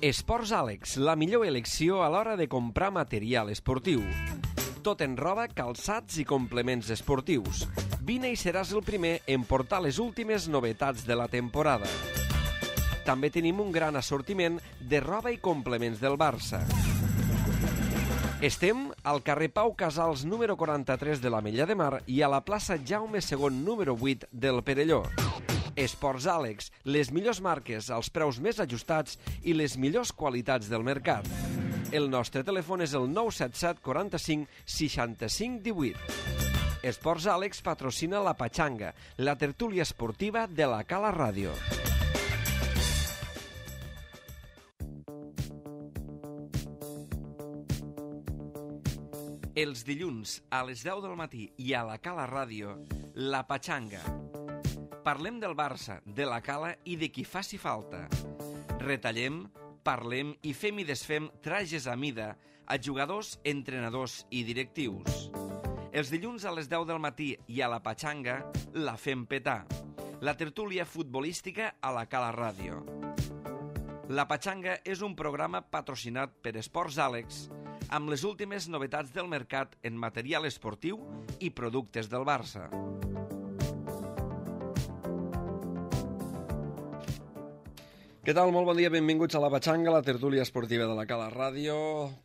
Esports Àlex, la millor elecció a l'hora de comprar material esportiu. Tot en roba, calçats i complements esportius. Vine i seràs el primer en portar les últimes novetats de la temporada. També tenim un gran assortiment de roba i complements del Barça. Estem al carrer Pau Casals número 43 de l'Ametlla de Mar i a la plaça Jaume II número 8 del Perelló. Esports Àlex, les millors marques als preus més ajustats i les millors qualitats del mercat. El nostre telèfon és el 977 45 65 18. Esports Àlex patrocina la Patxanga, la tertúlia esportiva de la Cala Ràdio. Els dilluns a les 10 del matí i a la Cala Ràdio, la Patxanga. Parlem del Barça, de la Cala i de qui faci falta. Retallem, parlem i fem i desfem trajes a mida a jugadors, entrenadors i directius. Els dilluns a les 10 del matí i a la Patxanga la fem petar. La tertúlia futbolística a la Cala Ràdio. La Patxanga és un programa patrocinat per Esports Àlex amb les últimes novetats del mercat en material esportiu i productes del Barça. Què tal? Molt bon dia, benvinguts a la Patxanga, la tertúlia esportiva de la Cala Ràdio.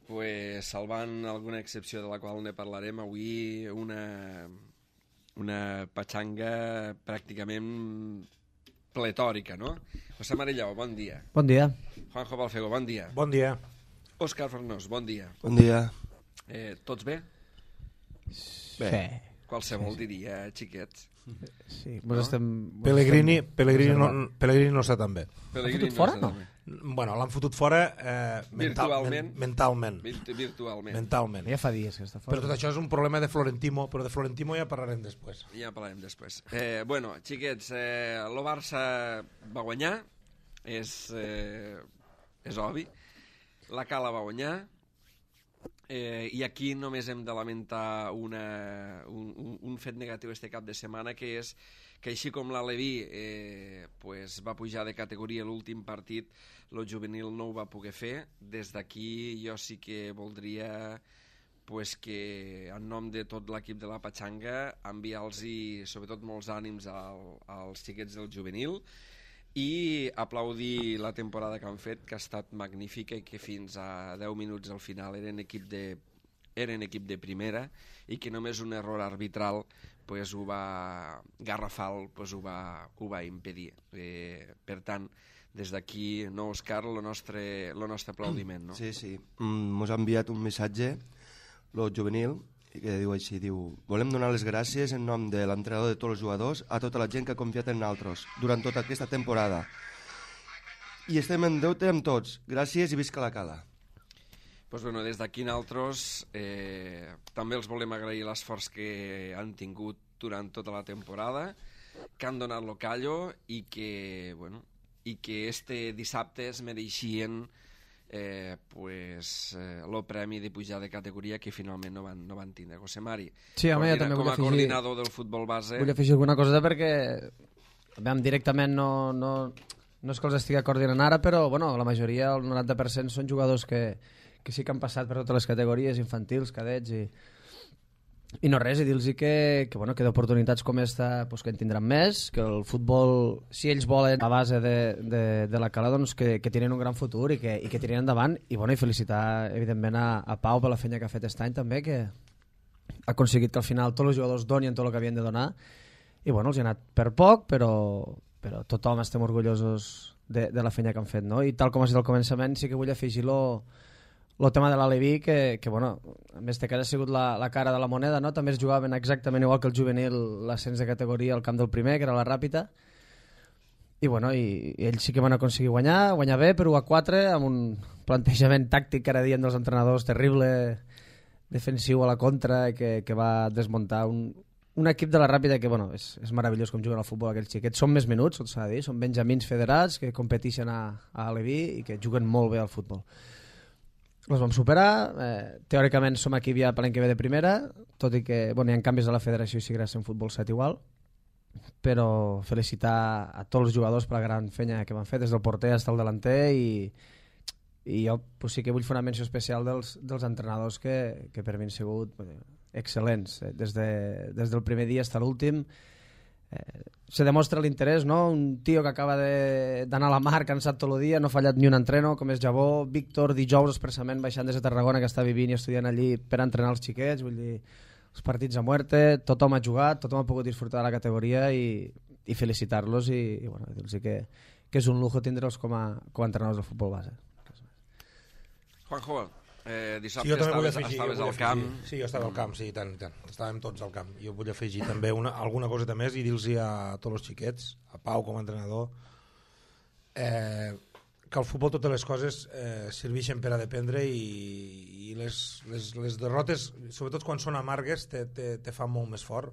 Pues, salvant alguna excepció de la qual ne parlarem avui, una Patxanga pràcticament pletòrica, no? José Marellao, bon dia. Bon dia. Juanjo Balfego, bon dia. Bon dia. Òscar Farnós, bon dia. Bon dia. Tots bé? Bé. Qualsevol diria, xiquets. Sí, no? Pellegrini no està tan bé. Pellegrini fora, no? Bueno, l'han fotut fora Virtualment. mentalment. Ja fa dies que està fora. Però tot això és un problema de Florentino, però de Florentino ja parlarem després. Ja parlarem després. Bueno, xiquets, el Barça va guanyar, és obvi. La Cala va guanyar, i aquí només hem de lamentar un fet negatiu este cap de setmana, que és que així com l'Aleví pues va pujar de categoria l'últim partit, el juvenil no ho va poder fer. Des d'aquí jo sí que voldria pues, que en nom de tot l'equip de la Patxanga enviar-los sobretot molts ànims als xiquets del juvenil i aplaudir la temporada que han fet, que ha estat magnífica i que fins a 10 minuts al final eren equip de primera i que només un error arbitral pues, garrafal pues, ho va impedir. Per tant, des d'aquí, no, Òscar, el nostre aplaudiment. No? Sí. Mos ha enviat un missatge, el juvenil, que diu així, volem donar les gràcies en nom de l'entrenador de tots els jugadors a tota la gent que ha confiat en nosaltres durant tota aquesta temporada. I estem en deute amb tots. Gràcies i visca la Cala. Pues bueno, des d'aquí nosaltres també els volem agrair l'esforç que han tingut durant tota la temporada, que han donat lo callo i que este dissabte es mereixien el premi de pujar de categoria que finalment no van tindre. José Mari, sí, home, també com a coordinador del futbol base... Vull afegir alguna cosa perquè directament no és que els estigui coordinant ara, però bueno, la majoria, el 90%, són jugadors que sí que han passat per totes les categories, infantils, cadets i no res, i dir-los que d'oportunitats com esta pues, que en tindran més, que el futbol, si ells volen a base de la Cala, doncs que tenen un gran futur i que tiren endavant, i felicitar evidentment a Pau per la feina que ha fet aquest any també, que ha aconseguit que al final tots els jugadors donin tot el que havien de donar, i els ha anat per poc, però tothom estem orgullosos de la feina que han fet, no? I tal com has dit al començament, sí que vull afegir el tema de l'Aleví, que en aquest cas ha sigut la cara de la moneda, no? També es jugaven exactament igual que el juvenil l'ascens de categoria al camp del primer, que era la Ràpita, i ells sí que van aconseguir guanyar bé per 1-4, amb un plantejament tàctic que ara dient dels entrenadors terrible, defensiu a la contra, que va desmuntar un equip de la Ràpita que és meravellós com juguen al futbol aquells xiquets. Són més menuts, tot s'ha de dir, són benjamins federats que competeixen a Aleví i que juguen molt bé al futbol. Els vam superar, teòricament som aquí ja per l'any que ve de primera, tot i que hi ha canvis a la federació i seguirà sent futbol 7 igual, però felicitar a tots els jugadors per la gran feina que van fer, des del porter fins al delanter, i i jo pues, sí que vull fer una menció especial dels entrenadors que per mi han sigut excel·lents, des del primer dia fins a l'últim. Se demostra l'interès, no? Un tio que acaba d'anar a la mar cansat tot el dia, no ha fallat ni un entreno, com és Jabó. Víctor, dijous expressament baixant des de Tarragona, que està vivint i estudiant allí per entrenar els xiquets, vull dir, els partits a muerte, tothom ha jugat, tothom ha pogut disfrutar de la categoria i felicitar-los i bueno, dir-los que és un lujo tindre'ls com a entrenadors del futbol base. Juanjo, dissabte Sí, jo també vull estaves afegir, al camp. Sí, jo estava al camp, sí, i tant. Estàvem tots al camp. Jo vull afegir també alguna coseta més i dir-los a tots els xiquets, a Pau com a entrenador, que al futbol totes les coses serveixen per a dependre i les derrotes, sobretot quan són amargues, te fan molt més fort.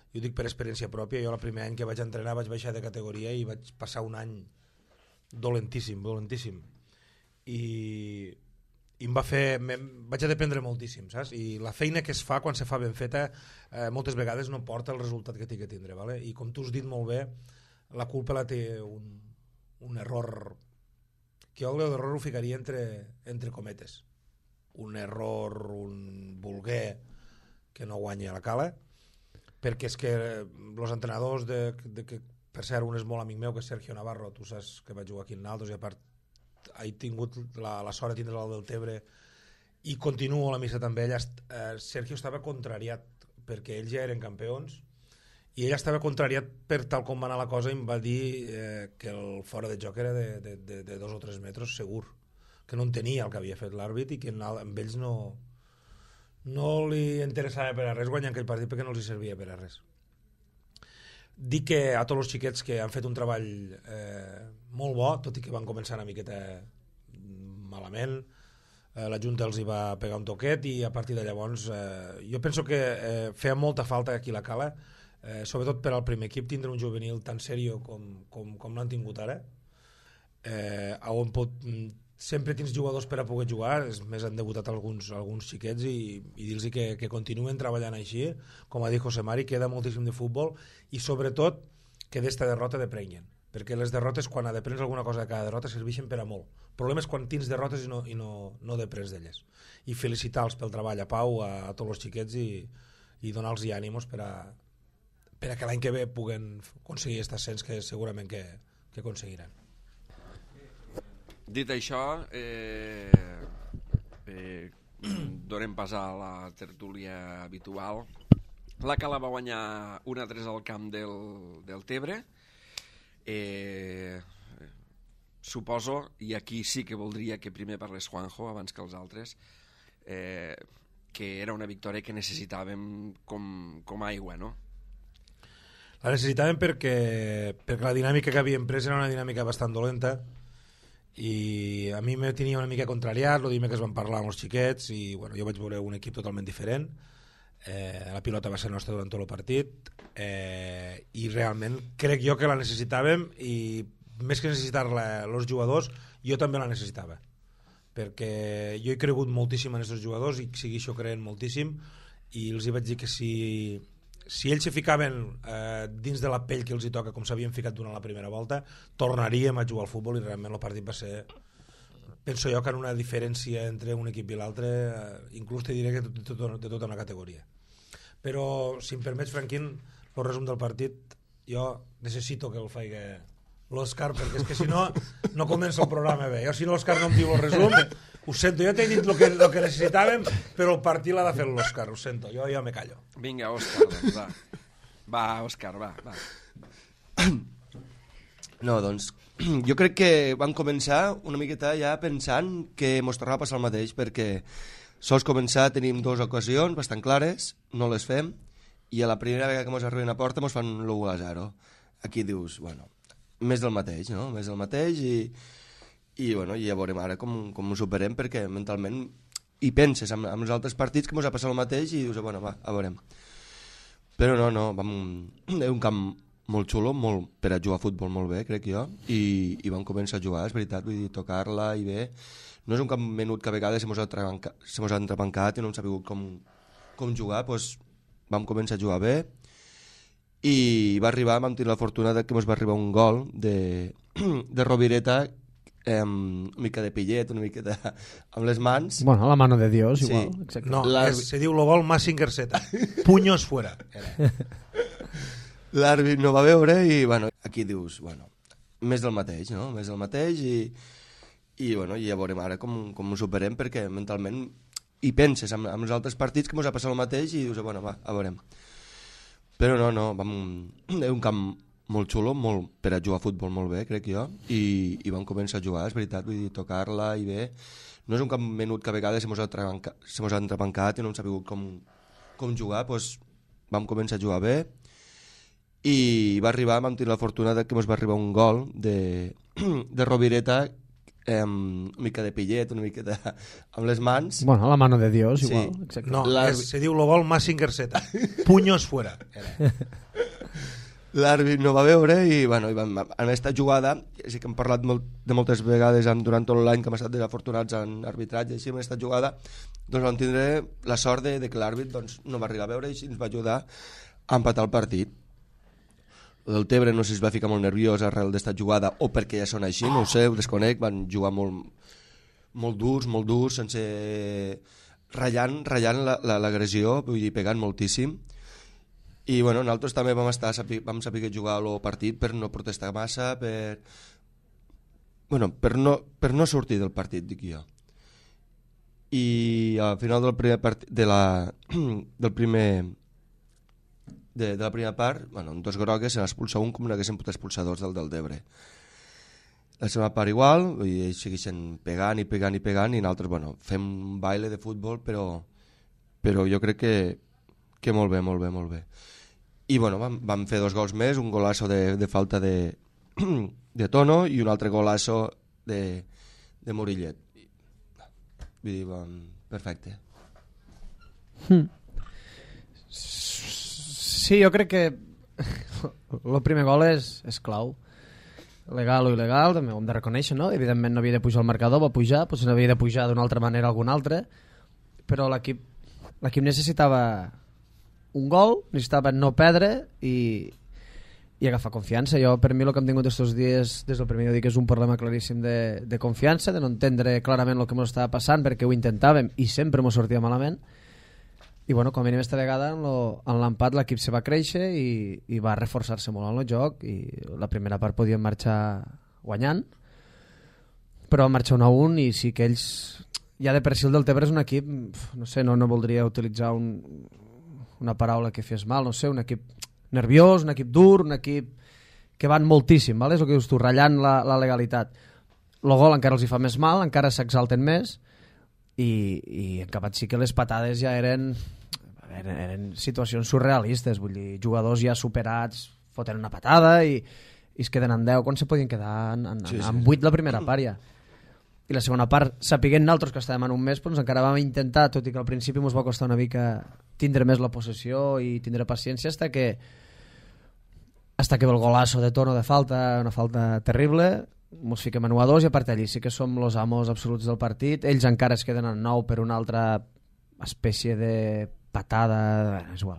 Jo ho dic per experiència pròpia. Jo el primer any que vaig entrenar vaig baixar de categoria i vaig passar un any dolentíssim. I em vaig a dependre moltíssim, saps? I la feina que es fa quan se fa ben feta moltes vegades no porta el resultat que té que tindre, ¿vale? I com tu has dit molt bé, la culpa la té un error, que jo l'error ho ficaria entre cometes, un error, un voler que no guanyi a la cala, perquè és que els entrenadors que per cert un és molt amic meu, que és Sergio Navarro, tu saps que va jugar aquí en Naldos i a part he tingut la sort de tindre el Deltebre i continuo l'amistat amb ell. Sergio estava contrariat perquè ells ja eren campions i ell estava contrariat per tal com va anar la cosa i em va dir que el fora de joc era de 2 o 3 metres segur, que no entenia el que havia fet l'àrbit i que amb ells no li interessava per a res guanyar aquell partit perquè no els hi servia per a res. Dic que a tots els xiquets que han fet un treball molt bo, tot i que van començar una miqueta malament, la Junta els hi va pegar un toquet i a partir de llavors jo penso que feia molta falta aquí a la Cala, sobretot per al primer equip, tindre un juvenil tan seriós com l'han tingut ara, on sempre tens jugadors per a poder jugar, més han debutat alguns xiquets i dir-los que continuen treballant així, com ha dit José Mari, queda moltíssim de futbol i sobretot que d'esta derrota deprenyen, perquè les derrotes, quan deprens alguna cosa de cada derrota, serveixen per a molt. El problema és quan tens derrotes i no deprens d'elles. I felicitar-los pel treball a Pau, a tots els xiquets i donar-los ànimos per a que l'any que ve puguen aconseguir aquest ascens que segurament que aconseguiran. Dit això, donem pas a la tertúlia habitual. La Cala va guanyar 1-3 al camp del Tebre. Suposo, i aquí sí que voldria que primer parlés Juanjo abans que els altres, que era una victòria que necessitàvem com aigua, no? La necessitàvem perquè la dinàmica que havíem pres era una dinàmica bastant dolenta i a mi me tenia una mica contrariat el dimecres vam parlar amb els xiquets i bueno, jo vaig veure un equip totalment diferent, la pilota va ser nostra durant tot el partit i realment crec jo que la necessitàvem i més que necessitar-la els jugadors jo també la necessitava perquè jo he cregut moltíssim en aquests jugadors i segueixo creient moltíssim i els hi vaig dir que si ells se ficaven dins de la pell que els hi toca com s'havien ficat durant la primera volta tornaríem a jugar al futbol i realment el partit va ser, penso jo que en una diferència entre un equip i l'altre inclús te diré que de tota una categoria. Però si em permets, Franquín, el resum del partit jo necessito que el faci l'Òscar perquè és que si no comença el programa bé. Jo si l'Òscar no em diu el resum ho sento, jo t'he dit el que necessitàvem però el partit l'ha de fer l'Òscar, ho sento, jo me callo. Vinga, Òscar, doncs va, Òscar, va. No, doncs jo crec que vam començar una miqueta ja pensant que mos tornava a passar el mateix perquè sols començar tenim 2 ocasions bastant clares, no les fem i a la primera vegada que mos arriben a porta mos fan l'1-0. Aquí dius, bueno, més del mateix, no? Més del mateix i bueno, ja veurem ara com ho superem perquè mentalment hi penses amb els altres partits que mos ha passat el mateix i dius, bueno, va, a veurem. Però no, és un camp molt xulo, per a jugar a futbol molt bé, crec jo, i vam començar a jugar, és veritat, vull dir, tocar-la i bé. No és un camp menut que a vegades se mos ha entrebancat i no hem sabut com jugar, doncs vam començar a jugar bé i vam tenir la fortuna que mos va arribar un gol de Rovireta una mica de pillet, una mica amb les mans. Bueno, la mano de Dios, Sí. igual. Exacte. No, se diu lo gol Massinger Z. Puños fuera. L'àrbit no va veure i, bueno, aquí dius, bueno, més del mateix, no? Més del mateix i bueno, ja veurem ara com ho superem, perquè mentalment hi penses amb els altres partits que ens ha passat el mateix i dius, bueno, va, a veurem. Però no, és un camp molt xulo, per a jugar a futbol molt bé, crec jo, i vam començar a jugar, és veritat, vull dir, tocar-la i bé. No és un camp menut que a vegades se mos ha entrebancat i no hem sabut com jugar, doncs vam començar a jugar bé i va arribar, vam tenir la fortuna que ens va arribar un gol de Rovireta, una mica de pillet, una mica amb les mans. Bueno, la mano de Dios, Sí. igual. Exacte. No, se diu lo gol Massinger Z. Puños fuera. L'àrbit no va veure i, bueno, en aquesta jugada, sí que hem parlat de moltes vegades durant tot l'any que hem estat desafortunats en arbitratge, i en aquesta jugada doncs vam tindre la sort de que l'àrbit doncs, no va arribar a veure i ens va ajudar a empatar el partit. El del Tebre no sé si es va ficar molt nerviós arrel d'esta jugada o perquè ja són així, no ho sé, ho desconec, van jugar molt durs, sense ratllant l'agressió, vull dir, pegant moltíssim. I bueno, nosaltres també vam saber jugar el partit per no protestar massa, per no sortir del partit, dic jo. I al final del primer partit de la primera part, bueno, en dos grogues se n'expulsa un com no haguessin pot expulsar dos del Debre. La segona part igual, i ells segueixen pegant i nosaltres, bueno, fem un baile de futbol, però jo crec que molt bé. I bueno, vam fer dos gols més, un golasso de falta de Tono i un altre golasso de Murillet. Vull dir, perfecte. Sí, jo crec que el primer gol és clau. Legal o il·legal, també ho hem de reconèixer, no? Evidentment no havia de pujar el marcador, va pujar, potser no havia de pujar d'una altra manera algun altre, però l'equip necessitava un gol, necessitava no perdre i agafar confiança. Jo, per mi, el que hem tingut aquests dies, des del primer dia, dic que és un problema claríssim de confiança, de no entendre clarament el que ens estava passant, perquè ho intentàvem i sempre ens sortia malament. I bueno, com a mínim esta vegada en l'empat l'equip se va créixer i va reforçar-se molt en el joc i la primera part podien marxar guanyant, però van marxar 1-1 i sí que ells, ja de per si el del Tebre és un equip, no sé, no voldria utilitzar una paraula que fes mal, no sé, un equip nerviós, un equip dur, un equip que van moltíssim, ¿vale? És el que dius tu, ratllant la legalitat. El gol encara els hi fa més mal, encara s'exalten més i en acabat sí que les patades ja eren situacions surrealistes, vull dir, jugadors ja superats foten una patada i es queden en 10 quan se podien quedar en 8 la primera part ja. I la segona part, sapiguent nosaltres que estàvem en un mes, doncs encara vam intentar, tot i que al principi ens va costar una mica tindre més la possessió i tindre paciència hasta que ve el golasso de Tono de falta, una falta terrible, ens fiquem a 1-2 i a part d'allí sí que som los amos absoluts del partit. Ells encara es queden en 9 per una altra espècie de patada, és igual.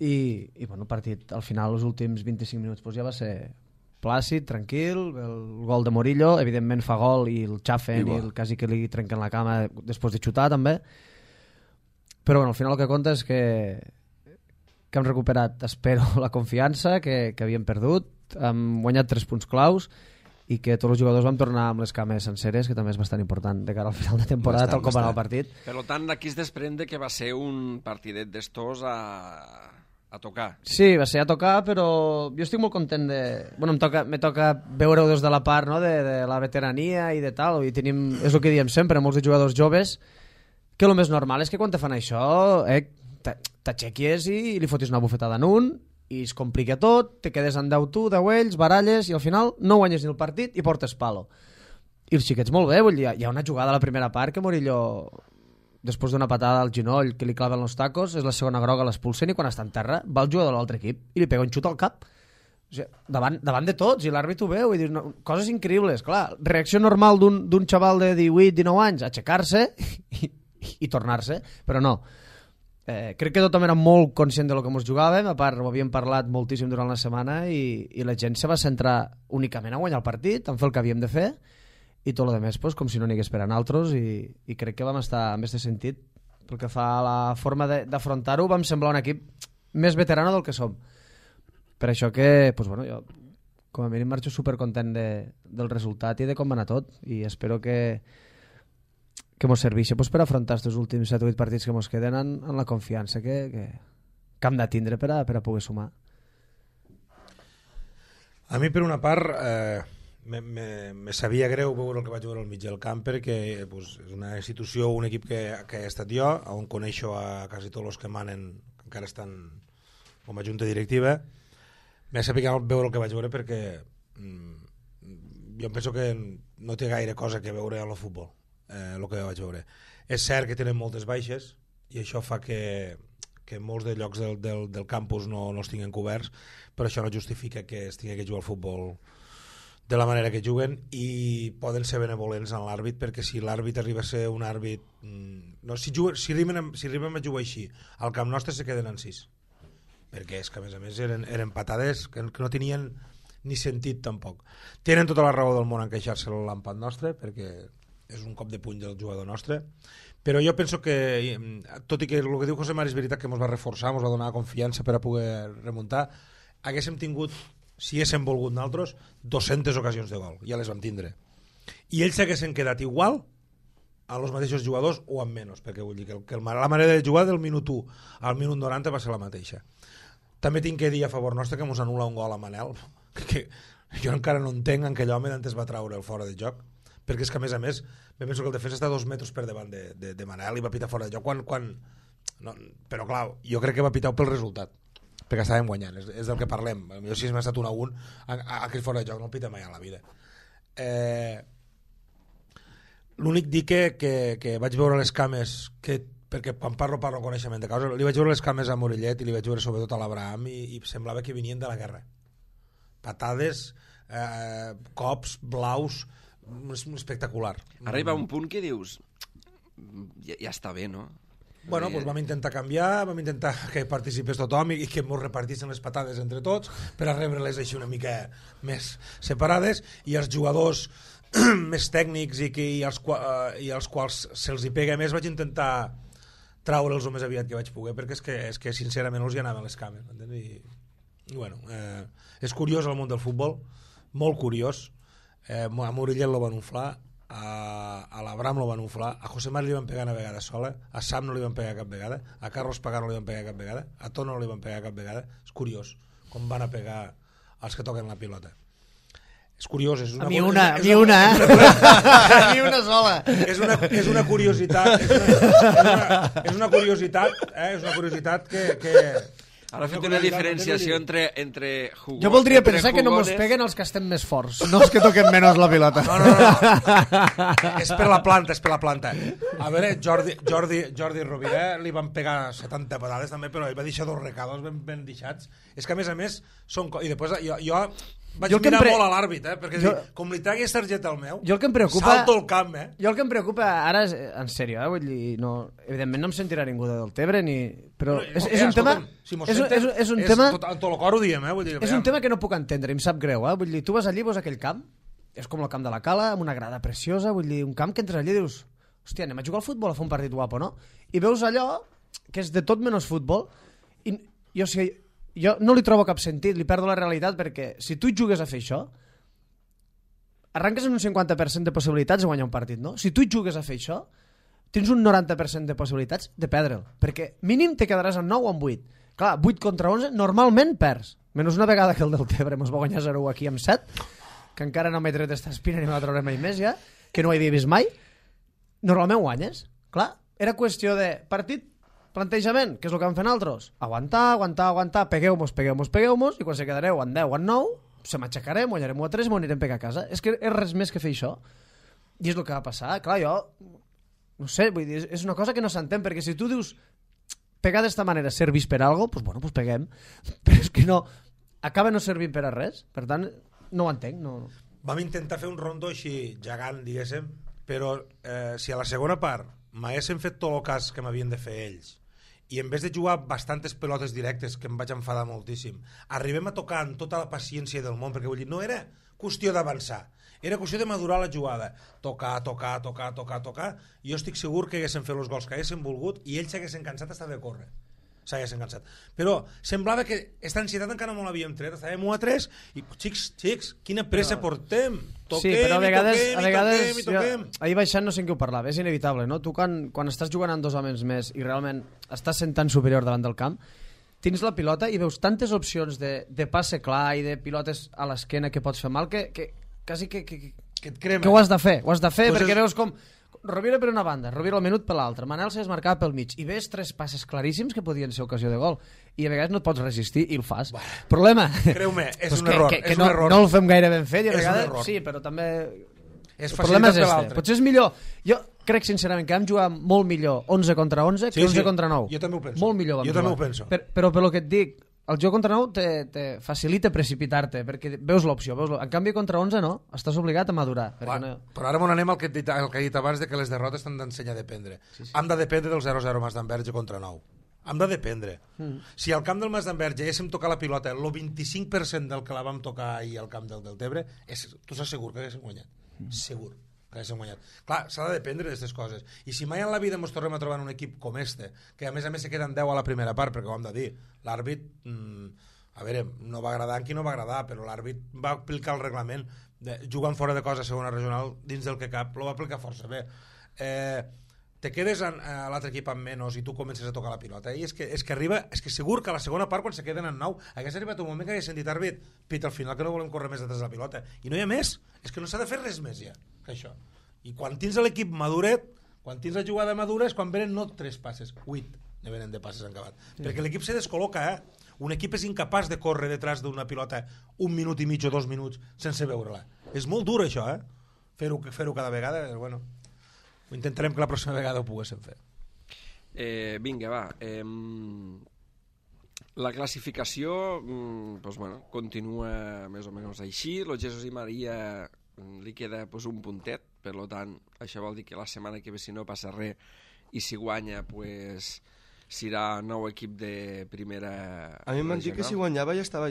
I bueno, el partit al final, els últims 25 minuts ja va ser plàcid, tranquil, el gol de Murillo, evidentment fa gol i el xafen i quasi que li trenquen la cama després de xutar també, però bueno, al final el que compta és que hem recuperat, espero, la confiança que havíem perdut, hem guanyat 3 punts claus i que tots els jugadors vam tornar amb les cames senceres, que també és bastant important de cara al final de temporada, tal com va anar el partit. Per tant, aquí es desprende que va ser un partidet d'estos a tocar. Sí, va ser a tocar, però jo estic molt content de... Bueno, me toca veure-ho des de la part, no?, de la veterania i de tal, i tenim, és el que diem sempre, molts de jugadors joves, que el més normal és que quan te fan això t'aixequies i li fotis una bufetada en un i es complica tot, te quedes en 10 tu, 10 ells, baralles, i al final no guanyes ni el partit i portes palo. I els xiquets molt bé, vull dir, hi ha una jugada a la primera part que Murillo, després d'una patada al genoll que li claven els tacos, és la segona groga, l'expulsen i quan està en terra va el jugador de l'altre equip i li pega un xut al cap. O sigui, davant de tots, i l'àrbit ho veu i dius, no, coses increïbles, clar, reacció normal d'un xaval de 18-19 anys, aixecar-se i tornar-se, però no. crec que tothom era molt conscient de lo que ens jugàvem, a part ho havíem parlat moltíssim durant la setmana i la gent se va centrar únicament a guanyar el partit, en fer el que havíem de fer i tot el demés pues, com si no n'hi hagués per a nosaltres i crec que vam estar en aquest sentit pel que fa a la forma d'afrontar-ho vam semblar un equip més veterano del que som. Per això que pues, bueno, jo com a mínim marxo supercontent del resultat i de com va anar tot i espero que mos serveixi pues, per afrontar aquests últims 7 o 8 partits que mos queden en la confiança que hem de tindre per a poder sumar. A mi, per una part, me sabia greu veure el que vaig veure al mig del camp perquè pues, és una institució, un equip que he estat jo, on coneixo a quasi tots els que manen, que encara estan com a junta directiva. M'ha sabut veure el que vaig veure perquè jo penso que no té gaire cosa que veure al futbol. El que vaig veure. És cert que tenen moltes baixes i això fa que molts de llocs del campus no els tinguin coberts, però això no justifica que es tingui que jugar al futbol de la manera que juguen i poden ser benevolents en l'àrbit perquè si l'àrbit arriba a ser un àrbit si arribem a jugar així al camp nostre se queden en 6 perquè és que a més eren patades que no tenien ni sentit tampoc. Tenen tota la raó del món en queixar-se l'empat nostre perquè és un cop de puny del jugador nostre, però jo penso que, tot i que el que diu José Mari és veritat que ens va reforçar, ens va donar confiança per a poder remuntar, haguéssim tingut, si haguéssim volgut nosaltres, 200 ocasions de gol, ja les vam tindre. I ells s'haguessin quedat igual a els mateixos jugadors o amb menys, perquè vull dir que la manera de jugar del minut 1 al minut 90 va ser la mateixa. També tinc que dir a favor nostre que ens anul·la un gol a Manel, que jo encara no entenc en aquell home d'antes va treure el fora de joc, perquè és que a més me penso que el defensa està 2 metres per davant de Manel i va pitar fora de joc no, però clar, jo crec que va pitar pel resultat perquè estàvem guanyant, és del que parlem. Jo si m'ha estat 1-1 aquell fora de joc no el pita mai a la vida. L'únic dir que vaig veure les cames perquè quan parlo coneixement de causa, li vaig veure les cames a Morellet i li vaig veure sobretot a l'Abraham i semblava que venien de la guerra, patades, cops, blaus, espectacular. Ara hi va un punt que dius ja està bé, no? Bueno, doncs vam intentar canviar, vam intentar que participés tothom i que ens repartissin les patades entre tots per a rebre-les així una mica més separades i els jugadors més tècnics i als quals se'ls hi pega més vaig intentar traure'ls el més aviat que vaig poder perquè és que sincerament els hi anaven les cames i bueno, és curiós el món del futbol, molt curiós. A Morellet lo van inflar, a l'Abraham lo van inflar, a José Mari li van pegar una vegada sola, a Sam no li van pegar cap vegada, a Carlos Pagano no li van pegar cap vegada, a Tono no li van pegar cap vegada. És curiós com van a pegar els que toquen la pilota. És curiós, és una... A mi una sola. És una curiositat, és una curiositat que Ara ha fet una diferenciació entre jugones... Jo voldria pensar que no mos peguen els que estem més forts, no els que toquen menys la pilota. No. És per la planta. A veure, Jordi Rovira li van pegar 70 patades també, però ell va deixar 2 recados ben deixats. És que a més són... I després jo vaig mirar molt a l'àrbit, perquè com li tregui targeta al meu, salto el camp, Jo el que em preocupa ara, en sèrio, vull dir, no, evidentment no em sentirà ningú de Deltebre, però és un tema... És un tema... En tot el cor ho diem, És un tema que no puc entendre, em sap greu, vull dir, tu vas allí, veus aquell camp, és com el camp de la Cala, amb una grada preciosa, vull dir, un camp que entres allí i dius, hòstia, anem a jugar al futbol, a fer un partit guapo, no? I veus allò, que és de tot menys futbol, i jo no li trobo cap sentit, li perdo la realitat, perquè si tu jugues a fer això, arranques en un 50% de possibilitats de guanyar un partit, no? Si tu jugues a fer això, tens un 90% de possibilitats de perdre'l, perquè mínim te quedaràs en 9 o en 8. Clar, 8 contra 11, normalment perds. Menys una vegada que el Deltebre mos va guanyar 0 aquí amb 7, que encara no m'he tret esta espina ni m'ha de treure mai més ja, que no ho havia vist mai, normalment guanyes. Clar, era qüestió de partit, plantejament, què és el que vam fer nosaltres? Aguantar, pegueu-mos, i quan se quedareu en 10 o en 9, se m'aixecarem, guanyarem 1 a 3 i m'ho anirem a pegar a casa. És que és res més que fer això. I és el que va passar. Clar, jo, no sé, vull dir, és una cosa que no s'entén, perquè si tu dius pegar d'esta manera servís per algo, doncs bueno, doncs peguem. Però és que no, acaba no servint per a res. Per tant, no ho entenc. No. Vam intentar fer un rondo així gegant, diguéssim, però si a la segona part m'haguessin fet tot el cas que m'havien de fer ells i en vez de jugar bastantes pelotes directes, que em vaig enfadar moltíssim, arribem a tocar amb tota la paciència del món, perquè vull dir, no era qüestió d'avançar, era qüestió de madurar la jugada, tocar, i jo estic segur que haguessin fet els gols que haguessin volgut i ells s'haguessin cansat hasta de córrer, s'haguessin cansat, però semblava que aquesta ansietat encara no l'havíem tret, estàvem 1-3 i xics, quina pressa portem, toquem, sí, però a vegades toquem. Ahir baixant no sé en què ho parlava, és inevitable, no? Tu quan estàs jugant amb 2 homes més i realment estàs sent tan superior davant del camp, tens la pilota i veus tantes opcions de passe clar i de pilotes a l'esquena que pots fer mal que quasi que et crema. Que ho has de fer Pues perquè veus com Rovira per una banda, Rovira al minut per l'altra, Manel s'ha desmarcat pel mig i ves 3 passes claríssims que podien ser ocasió de gol i a vegades no et pots resistir i el fas. Problema, creu-me, és pues un error, que és un error. No el fem gaire ben fet i a És un vegades error. sí, però també És el problema és facilitat per l'altre. Potser és millor. Jo crec sincerament que vam jugar molt millor 11 contra 11 que 11 contra 9. Jo també ho penso. Molt millor vam Jo jugar. també ho penso. Però pel que et dic, el joc contra 9 te facilita precipitar-te perquè veus l'opció. En canvi contra 11 no, estàs obligat a madurar. Va, No... però ara anem al que he dit abans de que les derrotes t'han d'ensenyar a dependre. Sí. Hem de dependre del 0-0 Mas d'Enverge contra 9. Hem de dependre. Si al camp del Mas d'Enverge haguéssim tocat la pilota el 25% del que la vam tocar ahir al camp del Deltebre, tu estàs segur que haguéssim guanyat. Segur que haguéssim guanyat. Clar, s'ha de dependre d'aquestes coses. I si mai en la vida ens tornem a trobar en un equip com este, que a més se queden 10 a la primera part, perquè ho hem de dir, l'àrbit, a veure, no va agradar en qui no va agradar, però l'àrbit va aplicar el reglament jugant fora de cosa a segona regional dins del que cap, lo va aplicar força bé. Te quedes a l'altre equip amb menys i tu comences a tocar la pilota i és que arriba, és que segur que a la segona part quan se queden en 9 hagués arribat un moment que hagués sentit àrbit, pit, al final que no volem córrer més detrás de la pilota i no hi ha més, és que no s'ha de fer res més ja que això, i quan tens l'equip maduret, quan tens la jugada madura és quan venen no 3 passes, 8 ne venen de passes en acabat, perquè l'equip se descol·loca, un equip és incapaç de córrer detrás d'una pilota 1 minut i mig o 2 minuts sense veure-la, és molt dur això, fer-ho cada vegada, bueno. Intentarem que la pròxima vegada ho poguéssim fer. Vinga, va. La classificació doncs, bueno, continua més o menys així. Lo Jesús i Maria li queda pues, un puntet, per tant, això vol dir que la setmana que ve, si no passa res, i si guanya, pues, serà nou equip de primera... A mi em van dir que si guanyava ja estava...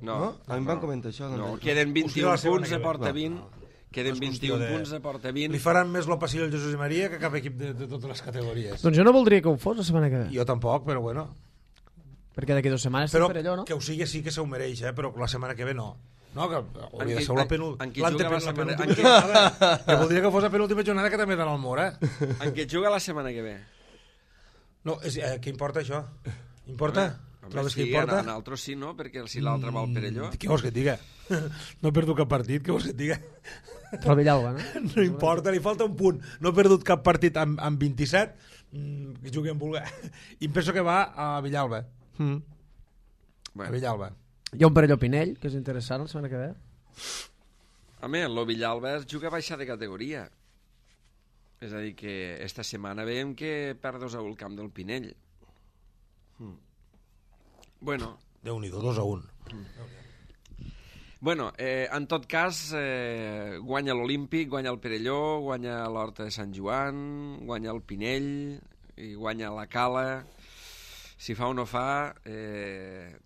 No. A mi em van comentar això. No, queden 21 punts, porta 20... Queden 21 punts, porta 20. Li faran més lo passillo al Jesús i Maria que cap equip de totes les categories. Doncs jo no voldria que ho fos la setmana que ve. Jo tampoc, però bueno. Perquè d'aquí 2 setmanes però per allò, no? Que ho sigui sí que s'ho mereix, però la setmana que ve no. No, que hauria de ser la penúltima. Que voldria que fos la penúltima jornada que també dan al Mora. En què juga la setmana que ve? No, què importa això? Importa? Trobes que importa? En altres sí, no? Perquè si l'altre va al Perelló... Què vols que et diga? No he perdut cap partit, què vols que et diga? Però Villalba, no? No importa, li falta un punt. No he perdut cap partit amb 27, que jugui amb vulgar. I em penso que va a Villalba. A Villalba. Hi ha un Perelló Pinell, que és interessant la setmana que ve. Home, el Villalba juga a baixar de categoria. És a dir, que esta setmana veiem que perd 2-1 el camp del Pinell. Bueno. Déu-n'hi-do, 2-1. Bueno, en tot cas, guanya l'Olímpic, guanya el Perelló, guanya l'Horta de Sant Joan, guanya el Pinell i guanya la Cala. Si fa o no fa,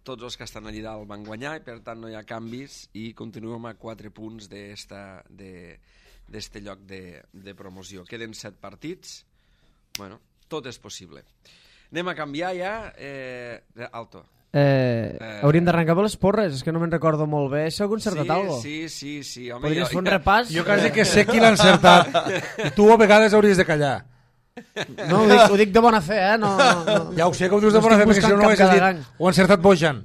tots els que estan allà dalt van guanyar i per tant no hi ha canvis i continuem a 4 punts d'este lloc de promoció. Queden 7 partits. Bueno, tot és possible. Anem a canviar ja. Alto. Hauríem d'arrencar per les porres, és que no me'n recordo molt bé. S'ha concertat alguna cosa? Sí. Home, podries fer un repàs? Jo quasi que sé qui l'ha encertat. I tu a vegades hauries de callar. No, ho dic de bona fe, No. Ja ho sé que ho dius de bona fe, perquè si no ho haguessis dit. Ho ha encertat Bojan.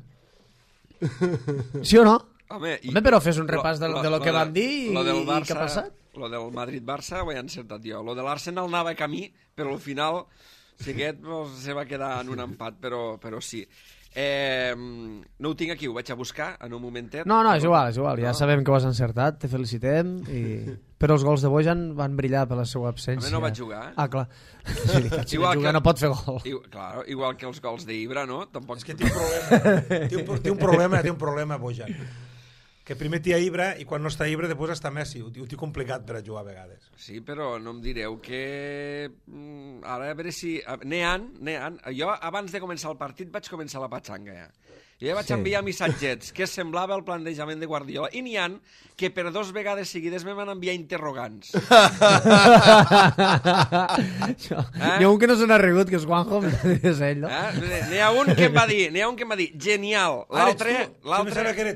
Sí o no? Home, però fes un repàs de lo que van dir i què ha passat. Lo del Madrid-Barça ho he encertat jo. Lo de l'Arsenal anava a camí, però al final si aquest se va quedar en un empat, però sí. No ho tinc aquí, ho vaig a buscar en un momentet. No, és igual, ja sabem que ho has encertat, te felicitem, però els gols de Bojan van brillar per la seva absència. A mi no vaig jugar. Ah, clar. Si no pot fer gol. Igual que els gols d'Ibra, no? És que té un problema, Bojan. que primer t'hi ha Ibra i quan no està Ibra després està Messi. Ho té complicat per a jugar a vegades. Sí, però no em direu que... Ara, a veure si... Nean. Jo, abans de començar el partit, vaig començar la patxanga, ja. Jo ja vaig enviar missatgets que semblava el plantejament de Guardiola. I n'hi ha que per 2 vegades seguides me van enviar interrogants. N'hi ha un que no se n'ha rigut, que és Juanjo, és ell, no? N'hi ha un que em va dir, genial. L'altre...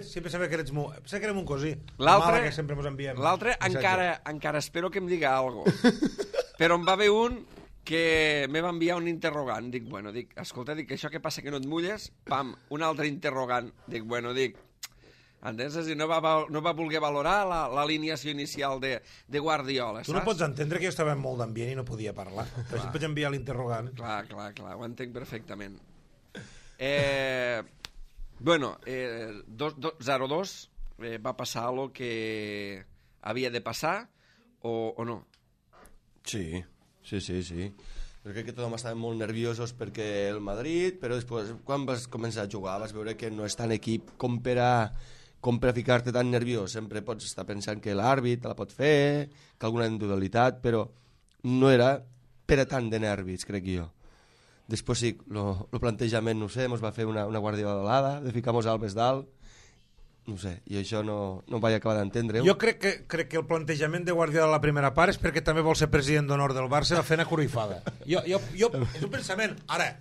Sempre sabia que eres mu... Sé que érem un cosí. L'altre, que sempre ens enviem. L'altre encara espero que em diga alguna cosa. Però em va haver un que me va enviar un interrogant. Dic, escolta, això que passa que no et mulles? Pam, un altre interrogant. Dic, entens? No va voler valorar l'alineació inicial de Guardiola, saps? Tu no pots entendre que jo estava molt d'ambient i no podia parlar. Però si pots enviar l'interrogant. Clar, ho entenc perfectament. 0-2 va passar el que havia de passar o no? Sí. Jo crec que tothom estava molt nerviosos perquè el Madrid, però després, quan vas començar a jugar, vas veure que no és tan equip com per a ficar-te tan nerviós. Sempre pots estar pensant que l'àrbit la pot fer, que alguna individualitat, però no era per a tant de nervis, crec jo. Després sí, el plantejament, no sé, ens va fer una guardiolada de ficar-nos Alves dalt, no sé, i això no vaig acabar d'entendre-ho. Jo crec que el plantejament de Guardiola a la primera part és perquè també vol ser president d'honor del Barça, va fer una corifada. Jo, és un pensament, ara,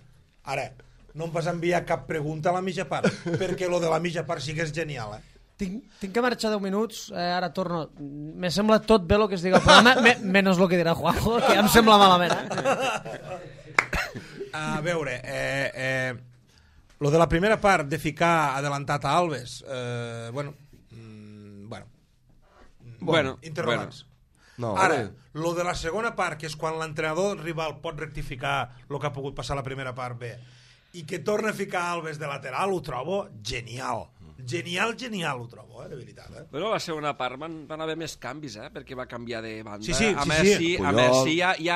no em vas enviar cap pregunta a la mitja part, perquè lo de la mitja part sí que és genial, Tinc que marxar 10 minuts, ara torno. Me sembla tot bé el que es diga al programa, menys el que dirà Juanjo, que ja em sembla malament, A veure, lo de la primera part de ficar adelantat a Alves, interrogants. No, ara, lo de la segona part, que és quan l'entrenador rival pot rectificar el que ha pogut passar a la primera part bé, i que torna a ficar Alves de lateral, ho trobo genial. Genial, ho trobo, de veritat. Però la segona part van haver més canvis, perquè va canviar de banda. Sí. A Messi i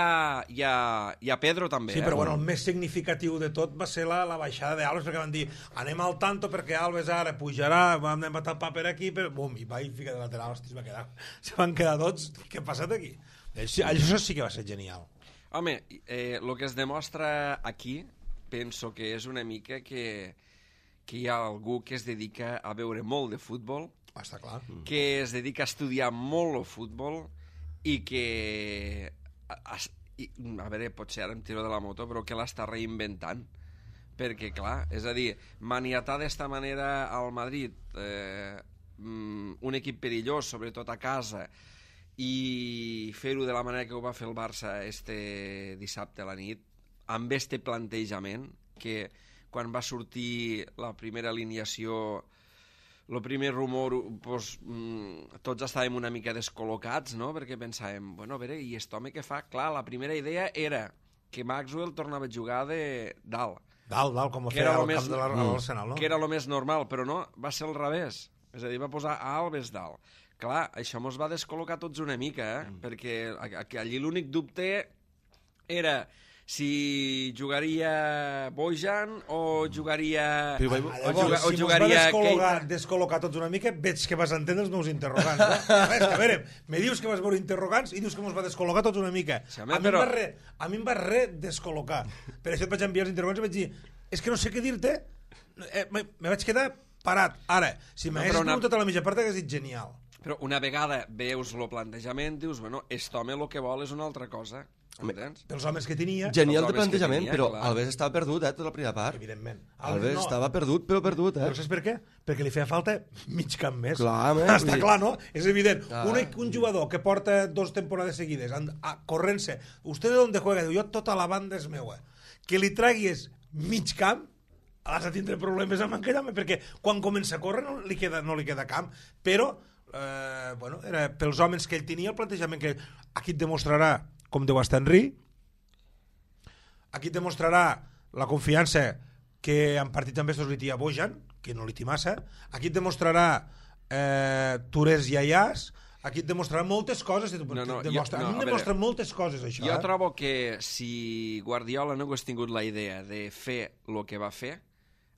a Pedro també. Sí, però el més significatiu de tot va ser la baixada d'Alves, perquè van dir, anem al tanto perquè Alves ara pujarà, vam empatar el paper aquí, bum, i va i fica de lateral, hosti, se van quedar tots. Què ha passat aquí? Això sí que va ser genial. Home, el que es demostra aquí, penso que és una mica que hi ha algú que es dedica a veure molt de futbol, està clar, que es dedica a estudiar molt el futbol i que, a veure, potser ara em tiro de la moto, però que l'està reinventant. Perquè, clar, és a dir, maniatar d'esta manera al Madrid, un equip perillós, sobretot a casa, i fer-ho de la manera que ho va fer el Barça este dissabte a la nit, amb este plantejament, que quan va sortir la primera alineació, el primer rumor, tots estàvem una mica descol·locats, no? Perquè pensàvem, a veure, i aquest home què fa? Clar, la primera idea era que Maxwell tornava a jugar de dalt. Dalt, com ho feia al camp de l'Arsenal, no? Que era el més normal, però no, va ser al revés. És a dir, va posar a Alves dalt. Clar, això mos va descol·locar tots una mica, perquè allí l'únic dubte era si jugaria Bojan o jugaria... Si mos va descol·locar tots una mica, veig que vas entendre els meus interrogants. A veure, me dius que vas veure interrogants i dius que mos va descol·locar tots una mica. A mi em va descol·locar. Per això et vaig enviar els interrogants i vaig dir, és que no sé què dir-te, me vaig quedar parat. Ara, si m'haguessis preguntat a la mitja part, hagués dit genial. Però una vegada veus el plantejament, dius, aquest home el que vol és una altra cosa. Pels homes que tenia... Genial de plantejament, però Alves estava perdut, tota la primera part. Evidentment. Alves estava perdut, però perdut, Però saps per què? Perquè li feia falta mig camp més. Clar, està clar, no? És evident. Un jugador que porta 2 temporades seguides corrent-se, ¿usted de dónde juega? Diu, jo tota la banda és meua. Que li traguis mig camp, has de tindre problemes amb aquell home, perquè quan comença a córrer no li queda camp. Però, era pels homes que ell tenia, el plantejament que aquí et demostrarà com deu estar Henry, aquí et demostrarà la confiança que en partit també li tia Bojan, que no li té massa, aquí et demostrarà Tourés i Ayàs, aquí et demostrarà moltes coses, demostra moltes coses això. Jo trobo que si Guardiola no hagués tingut la idea de fer el que va fer,